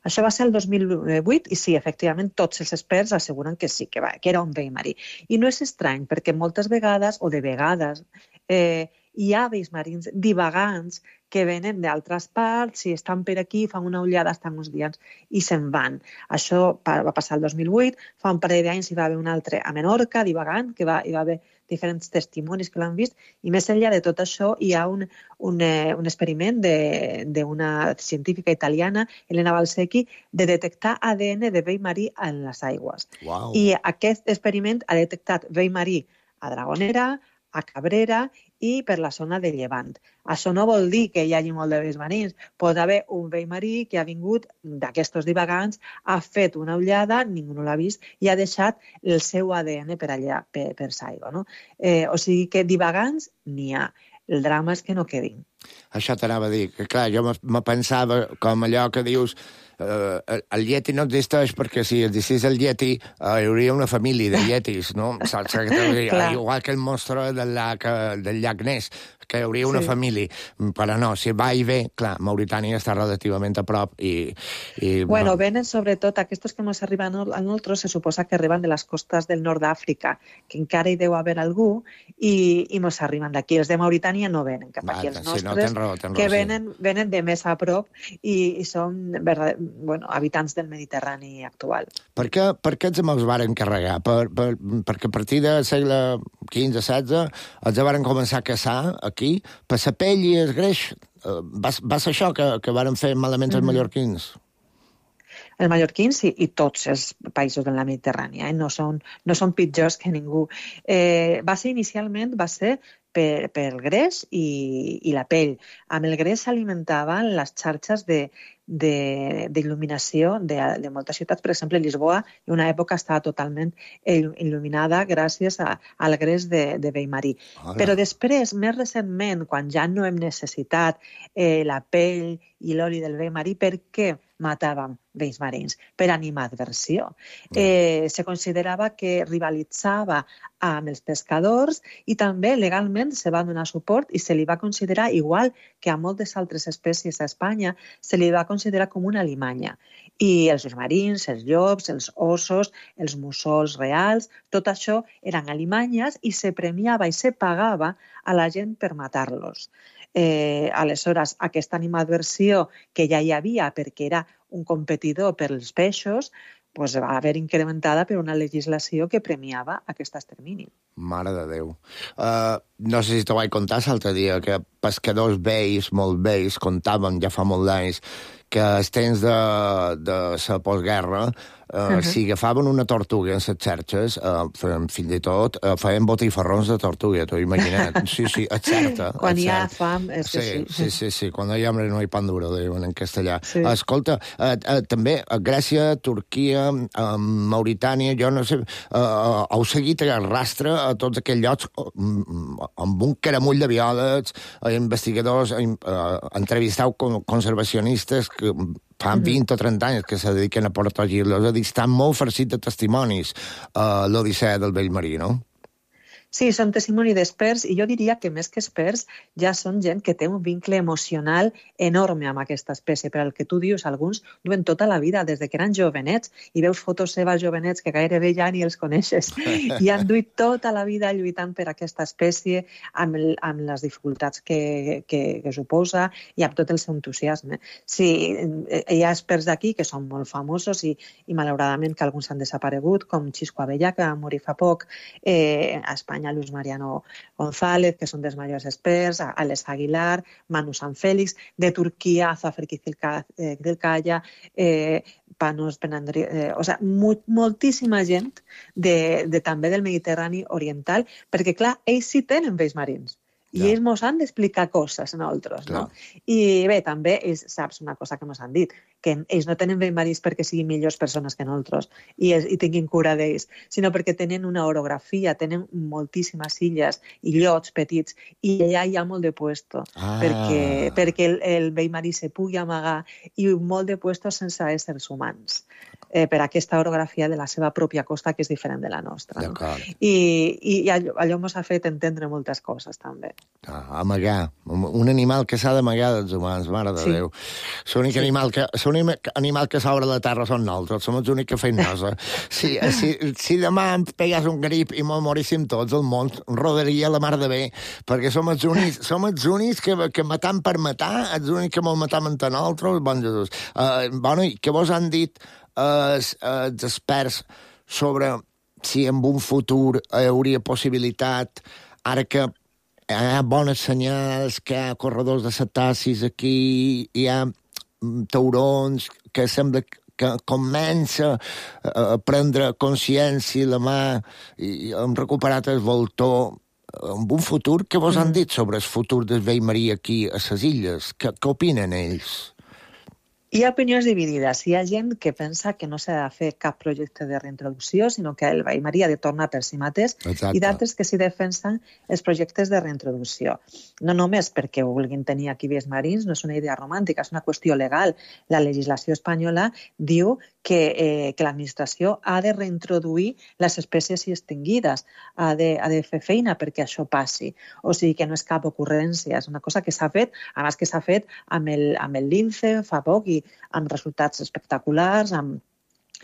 Això va ser el dos mil vuit i sí, efectivament, tots els experts asseguren que sí, que, va, que era un vell marí. I no és estrany, perquè moltes vegades, o de vegades, eh, hi ha vells marins divagants que venen d'altres parts, si estan per aquí, fan una ullada, estan uns dies i se'n van. Això va passar el dos mil vuit, fa un parell d'anys hi va haver un altre a Menorca, divagant, que va, hi va haver diferents testimonis que l'han vist, i més enllà de tot això hi ha un, un, eh, un experiment d'una científica italiana, Elena Valsecchi, de detectar A D N de vell marí en les aigües. Wow. I aquest experiment ha detectat vell marí a Dragonera, a Cabrera i per la zona de Llevant. Això no vol dir que hi hagi molt de vells marins. Pot haver un vell marí que ha vingut d'aquests divagants, ha fet una ullada, ningú no l'ha vist, i ha deixat el seu A D N per allà, per, per l'aigua. No? Eh, o sigui que divagants n'hi ha. El drama és que no quedin. Això t'anava a dir, que clar, jo me pensava com allò que dius, Uh, el Yeti no existeix perquè si existís el Yeti uh, hi hauria una família de Yetis, no? Saps? Igual que el monstre del llac, del llac Ness, que hi hauria una sí. família. Però no, si va i ve, clar, Mauritània està relativament a prop i... i bueno, no. Venen sobretot, aquests que ens arriben a nosaltres se suposa que arriben de les costes del nord d'Àfrica, que encara hi deu haver algú, i, i ens arriben d'aquí. Els de Mauritània no venen cap aquí, els nostres, sí, no, ten raó, ten raó, que venen, sí. venen de més a prop i, i són verdad, bueno, habitants del Mediterrani actual. Per què, per què els els varen carregar? Per, per, perquè a partir del segle quinze setze els varen començar a caçar aquí, per la pell i el greix. Va, va ser això que, que varen fer malament els mm-hmm. mallorquins? els mallorquins i, i tots els països de la Mediterrània, eh? no, són, no són pitjors que ningú. Eh, va ser inicialment, va ser per, per el greix i, i la pell. Amb el greix s'alimentaven les xarxes de d'il·luminació de, de moltes ciutats. Per exemple, Lisboa en una època estava totalment il·luminada gràcies a, al greix de, de vell-marí. Hola. Però després, més recentment, quan ja no hem necessitat eh, la pell i l'oli del vell-marí, per què matàvem vells marins? Per animadversió. Eh, se considerava que rivalitzava amb els pescadors i també legalment se va donar suport i se li va considerar, igual que a moltes altres espècies a Espanya, se li va considerar com una alimanya. I els marins, els llops, els ossos, els mussols reals, tot això eren alimanyes i se premiava i se pagava a la gent per matar-los. Eh, aleshores, aquesta animadversió que ja hi havia perquè era un competidor per als peixos, pues va haver incrementada per una legislació que premiava aquest extermini. Mare de Déu. Uh, no sé si t'ho vaig contar l'altre dia, que pescadors vells, molt vells, contaven ja fa molt d'anys, que els temps de, de la postguerra, uh, uh-huh. si agafaven una tortuga en les xarxes, uh, feien, fins i tot, uh, feien botifarrons de tortuga, t'ho imagina't. Sí, sí, és certa. Quan hi ha fam, és que sí. Sí, sí, sí, quan hi ha hambre no hi pan duro, diuen en castellà. Sí. Uh, escolta, uh, uh, també a Grècia, Turquia, uh, Mauritània, jo no sé, uh, uh, heu seguit el rastre a tots aquells llocs uh, amb un caramull de biòlegs, uh, investigadors, uh, entrevisteu conservacionistes que fa vint o trenta anys que se dediquen a protegir-los. És a dir, estan molt farcits de testimonis a l'Odissea del vell-marí, no? Sí, són testimoni d'experts i jo diria que més que experts ja són gent que té un vincle emocional enorme amb aquesta espècie. Per al que tu dius, alguns duen tota la vida, des de que eren jovenets, i veus fotos seves jovenets que gairebé ja ni els coneixes. I han duit tota la vida lluitant per aquesta espècie amb, el, amb les dificultats que, que, que suposa i amb tot el seu entusiasme. Sí, hi ha experts d'aquí que són molt famosos i, i malauradament que alguns han desaparegut, com Xisco Abellà, que va morir fa poc, eh, a Espanya, Luis Mariano González, que són dels majors experts, Alex Aguilar, Manu San Félix, de Turquia, Zafer Kizilkaya, eh, Panos Penandri... Eh, o sigui, mo moltíssima gent de, de, també del Mediterrani oriental, perquè, clar, ells sí tenen vells marins. I ja. ells ens han d'explicar coses a nosaltres, no? I bé, també, ells, saps una cosa que ens han dit, que ells no tenen vells marins perquè siguin millors persones que nosaltres i, i tinguin cura d'ells, sinó perquè tenen una orografia, tenen moltíssimes illes i llots petits, i allà hi ha molt de puesto, ah. perquè, perquè el, el vell marí se pugui amagar i molt de puesto sense éssers humans. Eh, per aquesta orografia de la seva pròpia costa, que és diferent de la nostra. No? I, i allò, allò ens ha fet entendre moltes coses, també. Ah, amagar. Un animal que s'ha d'amagar dels humans, mare de sí. Déu. L'únic sí. animal que, animal que s'obre la terra són nosaltres, som els únics que feim nosa. Si, si, si demà em pegués un grip i me'n moríssim tots, el món rodaria la mar de bé, perquè som els únics, som els únics que, que matam per matar, els únics que me'l matam entre nosaltres, bon Jesús. Uh, bueno, i què vos han dit els, els experts sobre si en un futur hi hauria possibilitat, ara que hi ha bones senyals, que hi ha corredors de cetacis aquí, hi ha taurons, que sembla que comença a prendre consciència la mà i hem recuperat el voltor. En un futur, què vos han dit sobre el futur del vell-marí aquí a les illes? Què, què opinen ells? Hi ha opinions dividides. Hi ha gent que pensa que no s'ha de fer cap projecte de reintroducció, sinó que el vell-marí ha de tornar per si mateix, Exacte. I d'altres que s'hi defensen els projectes de reintroducció. No només perquè vulguin tenir aquí vells marins, no és una idea romàntica, és una qüestió legal. La legislació espanyola diu que, eh, que l'administració ha de reintroduir les espècies extinguides, ha de, ha de fer feina perquè això passi. O sigui que no és cap ocurrència, és una cosa que s'ha fet, a més que s'ha fet amb el, amb el lince fa poc i amb resultats espectaculars, amb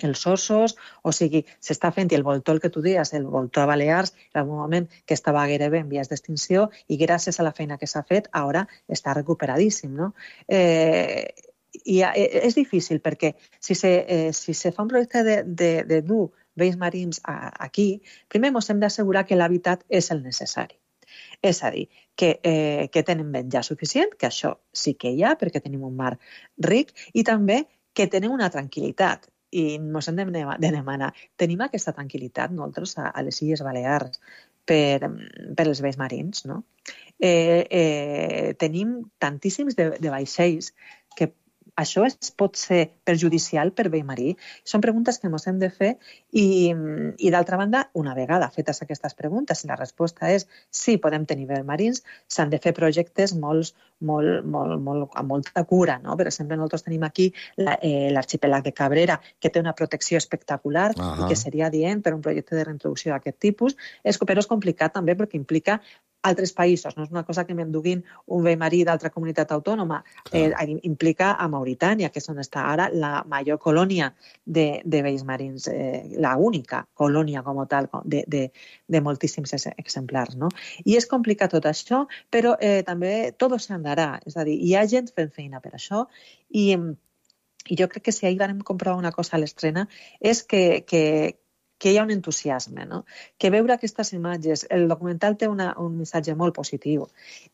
els ossos, o sigui, s'està fent, i el voltor, el que tu deies, el voltor a Balears, en algun moment que estava gairebé en vies d'extinció, i gràcies a la feina que s'ha fet, ara està recuperadíssim, no? Eh, i és difícil, perquè si se, eh, si se fa un projecte de, de, de dur vells marins a, aquí, primer ens hem d'assegurar que l'hàbitat és el necessari. És a dir, que, eh, que tenen menjar suficient, que això sí que hi ha, perquè tenim un mar ric, i també que tenen una tranquil·litat i ens hem de demanar. Tenim aquesta tranquil·litat nosaltres a, a les Illes Balears per, per els vells marins, no? Eh, eh, tenim tantíssims de, de vaixells que això es pot ser perjudicial per vell marí. Són preguntes que ens hem de fer i, i d'altra banda, una vegada fetes aquestes preguntes, si la resposta és sí, podem tenir vells marins, s'han de fer projectes molt, molt, molt, molt, amb molta cura, no? Per exemple, nosaltres tenim aquí l'arxipèlag de Cabrera, que té una protecció espectacular uh-huh. i que seria adient per un projecte de reintroducció d'aquest tipus, és, però és complicat també perquè implica altres països, no és una cosa que m'enduguin un vell marí d'altra comunitat autònoma, eh, implica a Mauritània, que és on està ara la major colònia de, de vells marins, eh, la única colònia com a tal de, de, de moltíssims exemplars, no? I és complicat tot això, però eh, també tot s'andarà, és a dir, hi ha gent fent feina per això i, i jo crec que si ahir vam comprovar una cosa a l'estrena és que, que que hi ha un entusiasme, no? Que veure aquestes imatges, el documental té una, un missatge molt positiu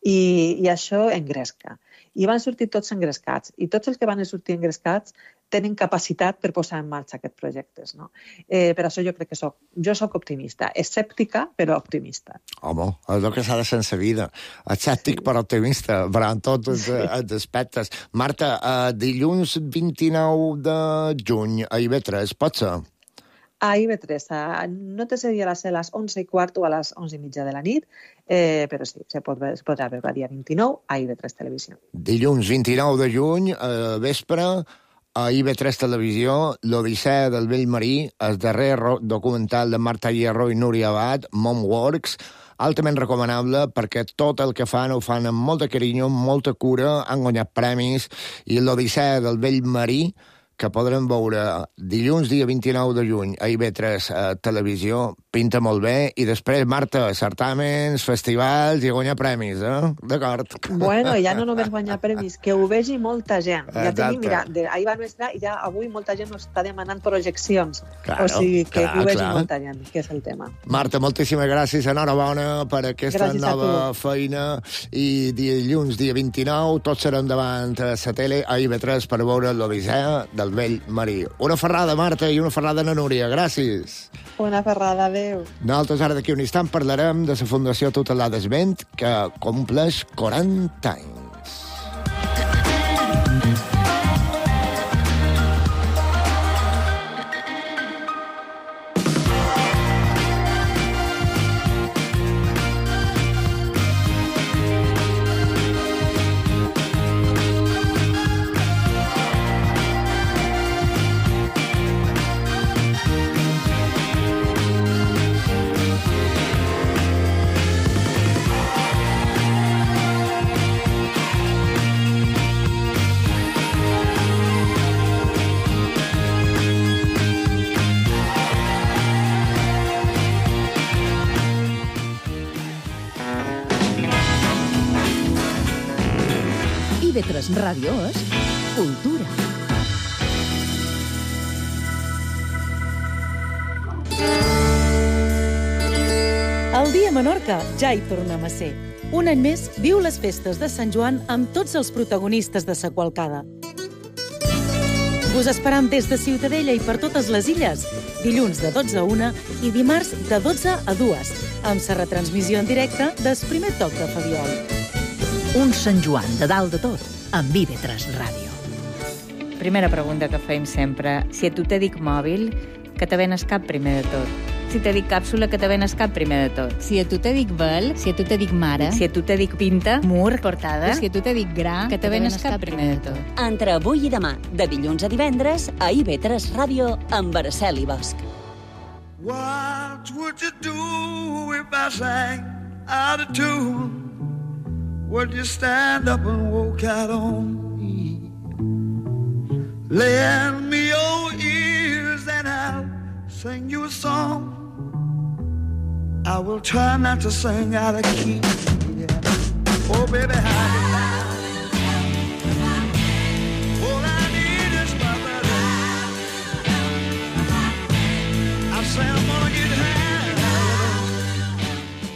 i, i això engresca. I van sortir tots engrescats i tots els que van sortir engrescats tenen capacitat per posar en marxa aquests projectes, no? Eh, per això jo crec que soc, jo soc optimista, escèptica però optimista. Home, és el que s'ha de ser en la vida, escèptic sí. però optimista, però en tots els, els aspectes. Marta, eh, dilluns vint-i-nou de juny a I V tres, pot ser? A I V tres, no te seria a ser a les onze i quart o a les onze i mitja de la nit, eh, però sí, se, pot, es podrà veure el dia vint-i-nou a I V tres Televisió. Dilluns vint-i-nou de juny, a vespre, a I V tres Televisió, l'Odissea del vell marí, el darrer documental de Marta Hierro i Núria Abad, Momworks, altament recomanable perquè tot el que fan ho fan amb molt de carinyo, amb molta cura, han guanyat premis, i l'Odissea del vell marí, que podrem veure dilluns, dia vint-i-nou de juny, a I V tres a Televisió, pinta molt bé, i després, Marta, certàmens, festivals i guanyar premis, eh? D'acord. Bueno, ja no només guanyar premis, que ho vegi molta gent. Ja tenim, mira, de, ahir va nostra i ja avui molta gent ens està demanant projeccions. Claro, o sigui, que clar, ho vegi clar. molta gent, que és el tema. Marta, moltíssimes gràcies, enhorabona per aquesta gràcies nova feina, i dilluns, dia vint-i-nou, tots serem davant a la tele a I V tres per veure l'Odissea del vell marí. Una ferrada, Marta, i una ferrada a Núria. Gràcies. Una ferrada, adéu. Nosaltres ara d'aquí un instant parlarem de la Fundació Tutelades Vent, que compleix quaranta anys. I V tres Ràdio és cultura. El dia a Menorca ja hi tornem a ser. Un any més viu les festes de Sant Joan amb tots els protagonistes de sa qualcada. Us esperam des de Ciutadella i per totes les illes, dilluns de dotze a una i dimarts de dotze a dues, amb sa retransmissió en directe del primer toc de Fabiol. Un Sant Joan de dalt de tot, amb I V tres Ràdio. Primera pregunta que fem sempre. Si a tu te dic mòbil, que te ven el cap primer de tot. Si te dic càpsula, que te ven el cap primer de tot. Si a tu te dic vel, si a tu te dic mare, si a tu te dic pinta, mur, portada, si a tu te dic gra, que te ven el cap primer de tot. Entre avui i demà, de dilluns a divendres, a I V tres Ràdio, amb Araceli Bosch. What would you do if I sang out of tune? Would you stand up and walk out on me? Lend me your ears and I'll sing you a song. I will try not to sing out of key. Yeah. Oh, baby, how you like? All I need is my baby. I say I'm gonna get high.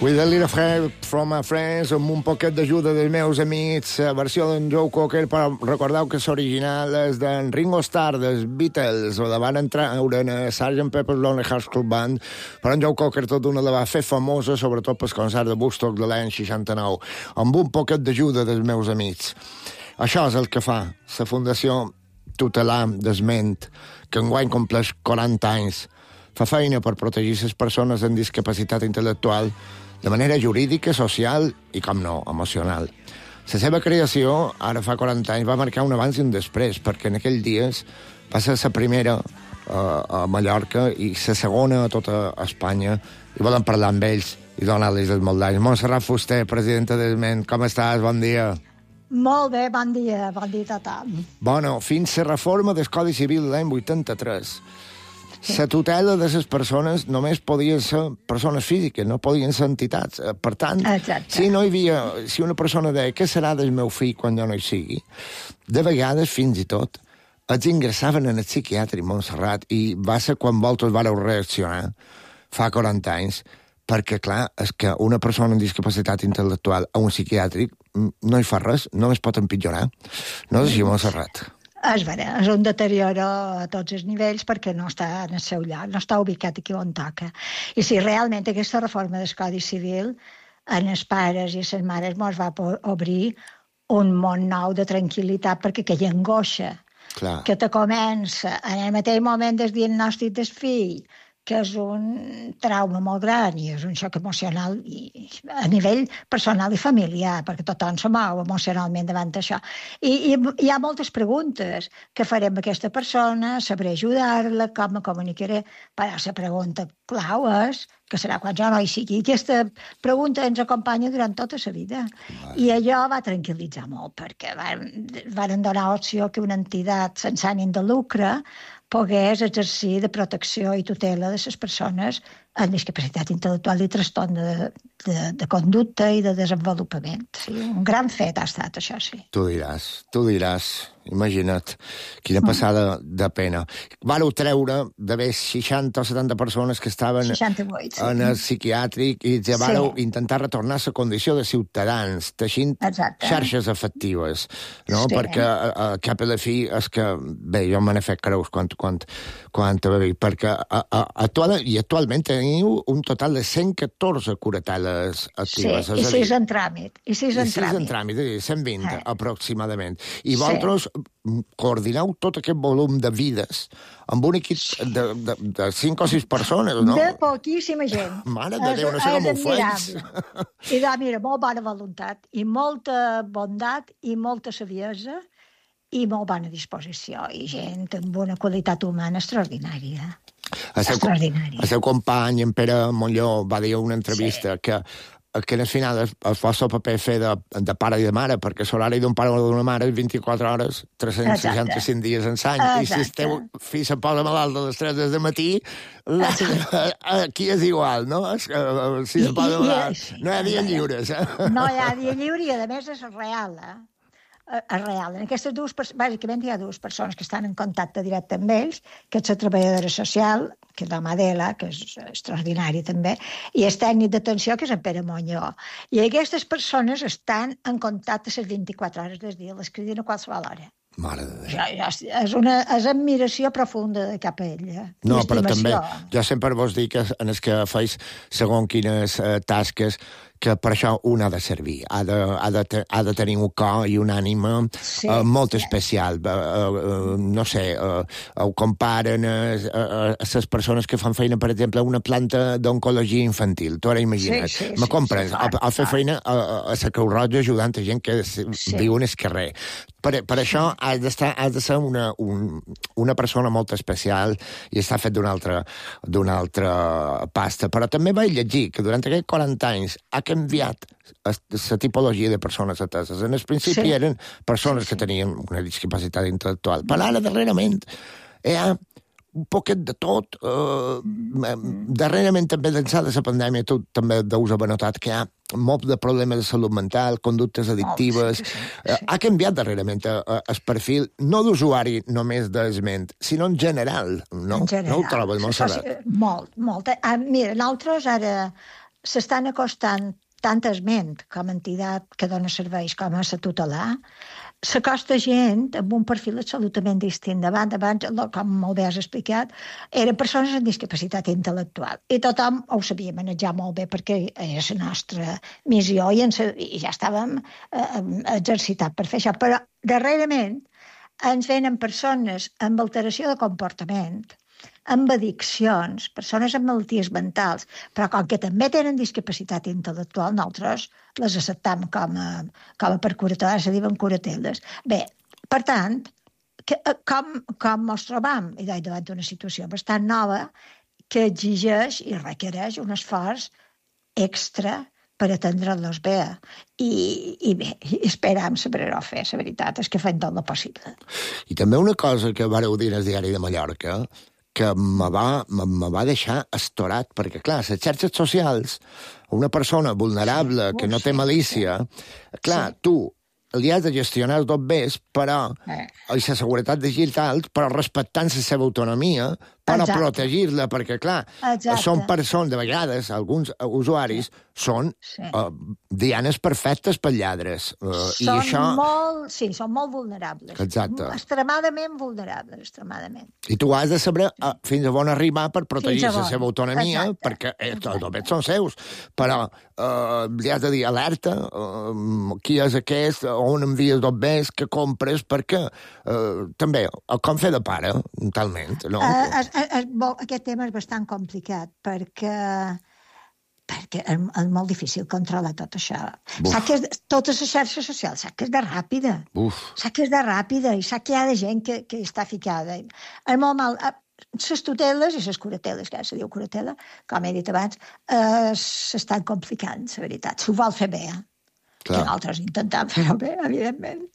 With a little help from my friends, amb un poquet d'ajuda dels meus amics, la versió d'en Joe Cocker, però recordeu que l'original és d'en Ringo Starr, dels Beatles, o la van entrar en sergeant Pepper's Lonely Hearts Club Band, però en Joe Cocker tot una la va fer famosa, sobretot pel concert de Woodstock de l'any seixanta-nou, amb un poquet d'ajuda dels meus amics. Això és el que fa la Fundació Tutelar d'Esment, que enguany compleix quaranta anys. Fa feina per protegir les persones amb discapacitat intel·lectual de manera jurídica, social i, com no, emocional. La seva creació, ara fa quaranta anys, va marcar un abans i un després, perquè en aquells dies va ser la primera uh, a Mallorca i la segona a tota Espanya, i volen parlar amb ells i donar-los els molts anys. Montserrat Fuster, presidenta d'Esment, com estàs? Bon dia. Molt bé, bon dia, bon dia a tothom. Bueno, fins la reforma del Codi Civil l'any vuitanta-tres, la tutela de les persones només podien ser persones físiques, no podien ser entitats. Per tant, Exacte. si no hi havia, si una persona deia què serà del meu fill quan jo no hi sigui, de vegades, fins i tot, els ingressaven en el psiquiàtric Montserrat, i va ser quan vosaltres vareu reaccionar, fa quaranta anys, perquè, clar, és que una persona amb discapacitat intel·lectual a un psiquiàtric no hi fa res, només pot empitjorar. No és així, Montserrat? És vera, és un deterioro a tots els nivells perquè no està en el seu lloc, no està ubicat aquí on toca. I si realment aquesta reforma del Codi Civil en els pares i les mares mos va obrir un món nou de tranquil·litat, perquè aquella angoixa Clar. que te comença en el mateix moment del diagnòstic del fill, que és un trauma molt gran i és un xoc emocional i, a nivell personal i familiar, perquè tothom se mou emocionalment davant d'això. I, i hi ha moltes preguntes. Què farem amb aquesta persona? Sabré ajudar-la? Com me comunicaré? Però la pregunta clau és que serà quan jo no hi sigui. Aquesta pregunta ens acompanya durant tota la vida. Vale. I allò va tranquil·litzar molt, perquè van, van donar opció que una entitat sense ànim de lucre pogués exercir de protecció i tutela de les persones amb discapacitat intel·lectual i trastorn de, de, de conducta i de desenvolupament. Sí, un gran fet ha estat, això, sí. Tu diràs, tu diràs, imagina't, quina passada mm. de pena. Vareu treure d'haver seixanta o setanta persones que estaven seixanta-vuit, sí. en el psiquiàtric i ja vareu sí. intentar retornar a la condició de ciutadans, teixint Exacte. xarxes efectives, no? Sí. Perquè a, a cap a la fi és que, bé, jo me n'he fet creus quan, quan, quan te va dir, perquè a, a, actual, i actualment teniu un total de cent catorze curateles actives. Sí, i sis en tràmit. I sis en tràmit. en tràmit, cent vint eh. aproximadament. I vosaltres sí. coordineu tot aquest volum de vides amb un equip de, de, de cinc o sis persones, no? De poquíssima gent. Mare de Déu, no sé com ho fais. I de, mira, molt bona voluntat, i molta bondat, i molta saviesa, i molt bona disposició, i gent amb una qualitat humana extraordinària. El seu, el seu company, en Pere Montlló, va dir a una entrevista sí. que, que al final es, es fa el paper fer de, de pare i de mare, perquè l'horari d'un pare o d'una mare és vint-i-quatre hores, tres-cents seixanta-cinc dies en l'any, i si el teu fill se posa malalt a les tres del matí, la, aquí és igual, no? Es, si se posa malalt, no hi ha dia lliures. Eh? No hi ha dia lliure, i a més és real, eh? És real. En aquestes dues, bàsicament hi ha dues persones que estan en contacte directe amb ells, que és la treballadora social, que és la Madela, que és extraordinari també, i el tècnic d'atenció, que és en Pere Montlló. I aquestes persones estan en contacte les vint-i-quatre hores del dia, les criden a qualsevol hora. Mare de Déu. Ja, ja, és una és admiració profunda de cap a ella. No, però també, jo sempre vos dic que en els que feis segons quines eh, tasques, que per això un ha de servir, ha de, ha de, te, ha de tenir un cor i una ànima sí, uh, molt sí. especial. Uh, uh, no sé, uh, ho comparen a uh, les uh, persones que fan feina, per exemple, a una planta d'oncologia infantil. Tu ara imagina't. Sí, sí, Me comprens? Sí, sí, a, a fer feina a, a la Creu Roja ajudant a gent que sí. viu en el carrer. Per, per això has, d'estar, has de ser una, un, una persona molt especial i està fet d'una altra, d'una altra pasta. Però també vaig llegir que durant aquests quaranta anys ha canviat la tipologia de persones ateses. En el principi sí. eren persones sí, sí. que tenien una discapacitat intel·lectual. Però ara, darrerament, hi ha un poquet de tot. Uh, darrerament, també d'ençà de la pandèmia, tu també deus haver notat que hi ha molt de problemes de salut mental, conductes addictives. Oh, sí, sí, sí. Uh, ha canviat darrerament uh, el perfil, no d'usuari només d'Esment, sinó en general, no? En general. No ho trobes, Montserrat? Molt, molt. Ah, mira, nosaltres ara s'estan acostant tant esment com a entitat que dona serveis com a la tutelar, s'acosta gent amb un perfil absolutament distint. Davant, abans, com molt bé has explicat, eren persones amb discapacitat intel·lectual. I tothom ho sabia manejar molt bé perquè era la nostra missió i, ens, i ja estàvem eh, exercitats per fer això. Però, darrerament, ens venen persones amb alteració de comportament, amb addiccions, persones amb malalties mentals, però com que també tenen discapacitat intel·lectual, nosaltres les acceptam com a, com a per curatores, se diuen curateles. Bé, per tant, que, com, com ens trobam? I davant d'una situació bastant nova que exigeix i requereix un esforç extra per atendre-los bé. I, i bé, esperam saber-ho fer, la veritat és que fem tot el possible. I també una cosa que vareu dir al Diari de Mallorca, que me va, me, me va deixar estorat, perquè, clar, les xarxes socials, una persona vulnerable sí, que no té malícia, clar, sí. tu li has de gestionar tot bé, però, eh. i la seguretat digital, però respectant la seva autonomia, per a protegir-la, perquè, clar, Exacte. són persones, de vegades, alguns usuaris, sí. són sí. Uh, dianes perfectes per lladres. Uh, són i això... molt, sí, són molt vulnerables. Exacte. Extremadament vulnerables, extremadament. I tu has de saber uh, fins a on arribar per protegir la seva autonomia, Exacte. perquè eh, tots són seus. Però uh, li has de dir alerta, uh, qui és aquest, on envies dos bés, que compres, perquè uh, també, com fer de pare, talment, no? Uh, es, es, aquest tema és bastant complicat, perquè perquè és, és molt difícil controlar tot això. Sap que és, totes les xarxes socials, sap que és de ràpida. Uf. Sap que és de ràpida i sap que hi ha de gent que, que està ficada. És molt mal... Les tuteles i les curateles, que ara se diu curatela, com he dit abans, eh, s'estan complicant, la veritat. S'ho vol fer bé, eh? Clar. Que nosaltres intentem fer-ho bé, evidentment.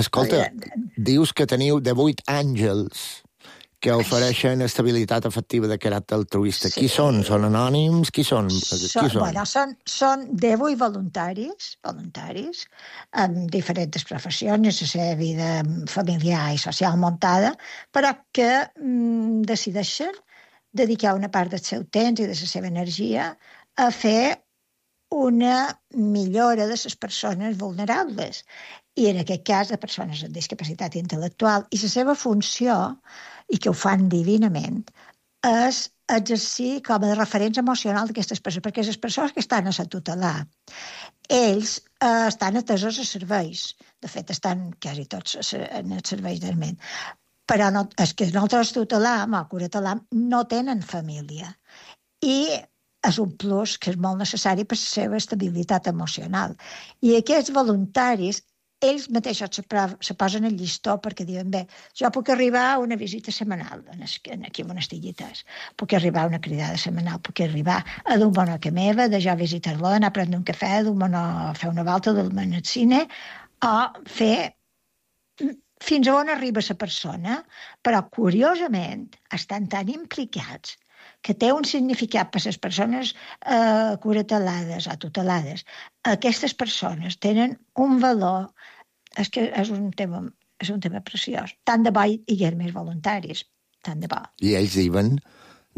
Escolta, evidentment. Dius que teniu de vuit àngels que ofereixen estabilitat efectiva de caràcter altruista. Sí. Qui són? Són anònims? Qui són? Són, Qui són? Bueno, són, són divuit voluntaris, voluntaris, amb diferents professions, la seva vida familiar i social muntada, però que mm, decideixen dedicar una part del seu temps i de la seva energia a fer una millora de les persones vulnerables. I en aquest cas de persones amb discapacitat intel·lectual. I la seva funció, i que ho fan divinament, és exercir com a referents emocionals d'aquestes persones, perquè les persones que estan a la tutelar, ells eh, estan atesos a serveis. De fet, estan quasi tots en els serveis d'alment. Però no, és que nosaltres tutelam, o curatelam, no tenen família. I és un plus que és molt necessari per la seva estabilitat emocional. I aquests voluntaris, ells mateixos se, se posen el llistó perquè diuen, bé, jo puc arribar a una visita setmanal aquí on estigui tas, puc arribar a una cridada setmanal, puc arribar a dur bona que meva, de jo visitar-lo, anar a prendre un cafè, dur bona, fer una volta, dur-me al cine, o fer fins a on arriba la persona, però curiosament estan tan implicats que té un significat per les persones eh, curatelades o tutelades. Aquestes persones tenen un valor, és que és un tema, és un tema preciós. Tant de bo hi hagués més voluntaris, tant de bo. I ells diuen,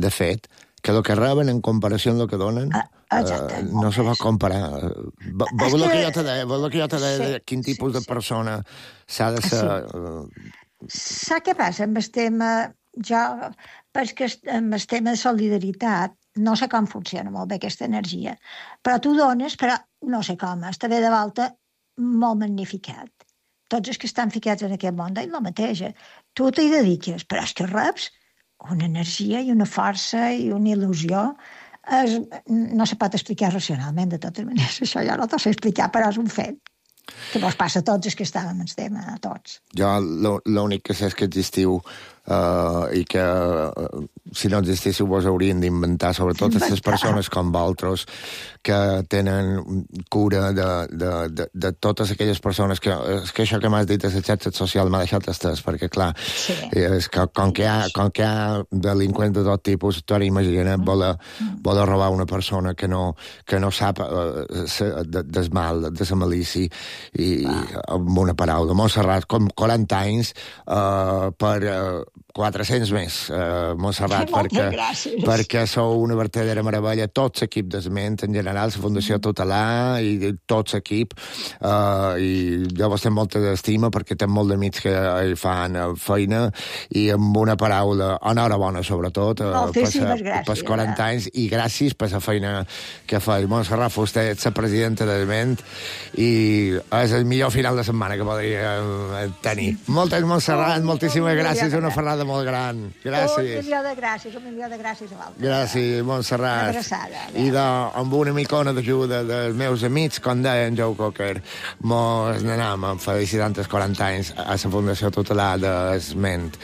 de fet, que el que reben en comparació amb el que donen ah, eh, no se va comparar. Vol que, que jo te deia, vol que jo te deia sí, quin tipus sí, de persona s'ha de ser... Sí. Saps què passa amb el tema... Jo, perquè amb el tema de solidaritat no sé com funciona molt bé aquesta energia, però tu dones, però no sé com, està bé de volta molt magnificat. Tots els que estan ficats en aquest món deien la mateixa. Tu t'hi dediques, però és que reps una energia i una força i una il·lusió. Es, no se pot explicar racionalment, de totes maneres. Això ja no t'ho sé explicar, però és un fet. Que vos passa a tots els que estàvem en el tema, a tots. Jo l'únic que sé és que existiu uh, i que uh, si no existíssiu vos haurien d'inventar, sobretot aquestes persones com vosaltres que tenen cura de, de, de, de totes aquelles persones que, és que això que m'has dit de la xarxa social m'ha deixat estès, perquè clar, sí. és que com que, hi ha, com que hi ha delinqüents de tot tipus, tu ara imagina't mm. voler, voler robar una persona que no, que no sap uh, de, del mal, de la malícia, i ah. amb una paraula, Montserrat, com quaranta anys uh, per uh, quatre-cents més, eh, Montserrat, Moltes perquè, gràcies. perquè sou una verdadera meravella, tots l'equip d'Esment, en general, la Fundació Tutelar i tots l'equip, eh, i jo vos tenc molta estima perquè tenc molt d'amics que hi fan feina, i amb una paraula, enhorabona sobretot, eh, Moltíssimes per, gràcies. pels quaranta anys, i gràcies per la feina que feia. Montserrat Fuster, ets la presidenta d'Esment, i és el millor final de setmana que podria tenir. Moltes, Montserrat, oh, moltíssimes oh, gràcies, una ferrada molt gran. Gràcies. Un milió de gràcies, un milió de gràcies a l'altre. Gràcies, Montserrat. Abraçada. I de, amb una micona d'ajuda dels meus amics, com deia en Joe Cocker, mos n'anem felicitant els quaranta anys a la Fundació Tutelar d'Esment.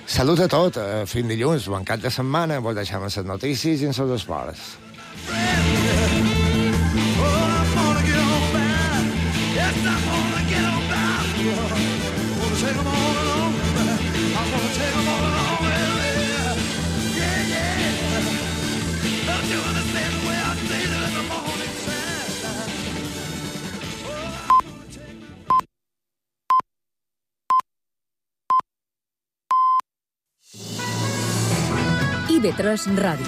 Salut a tot, fins dilluns, bon cap de setmana, vos deixem les notícies i en els esports. I B tres Ràdio.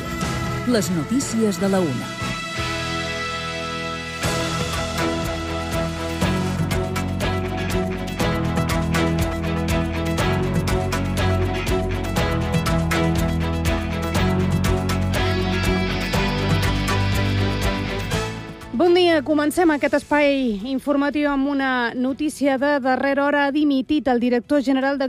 Les notícies de la una. Bon dia, comencem aquest espai informatiu amb una notícia de darrera hora. Ha dimitit el director general de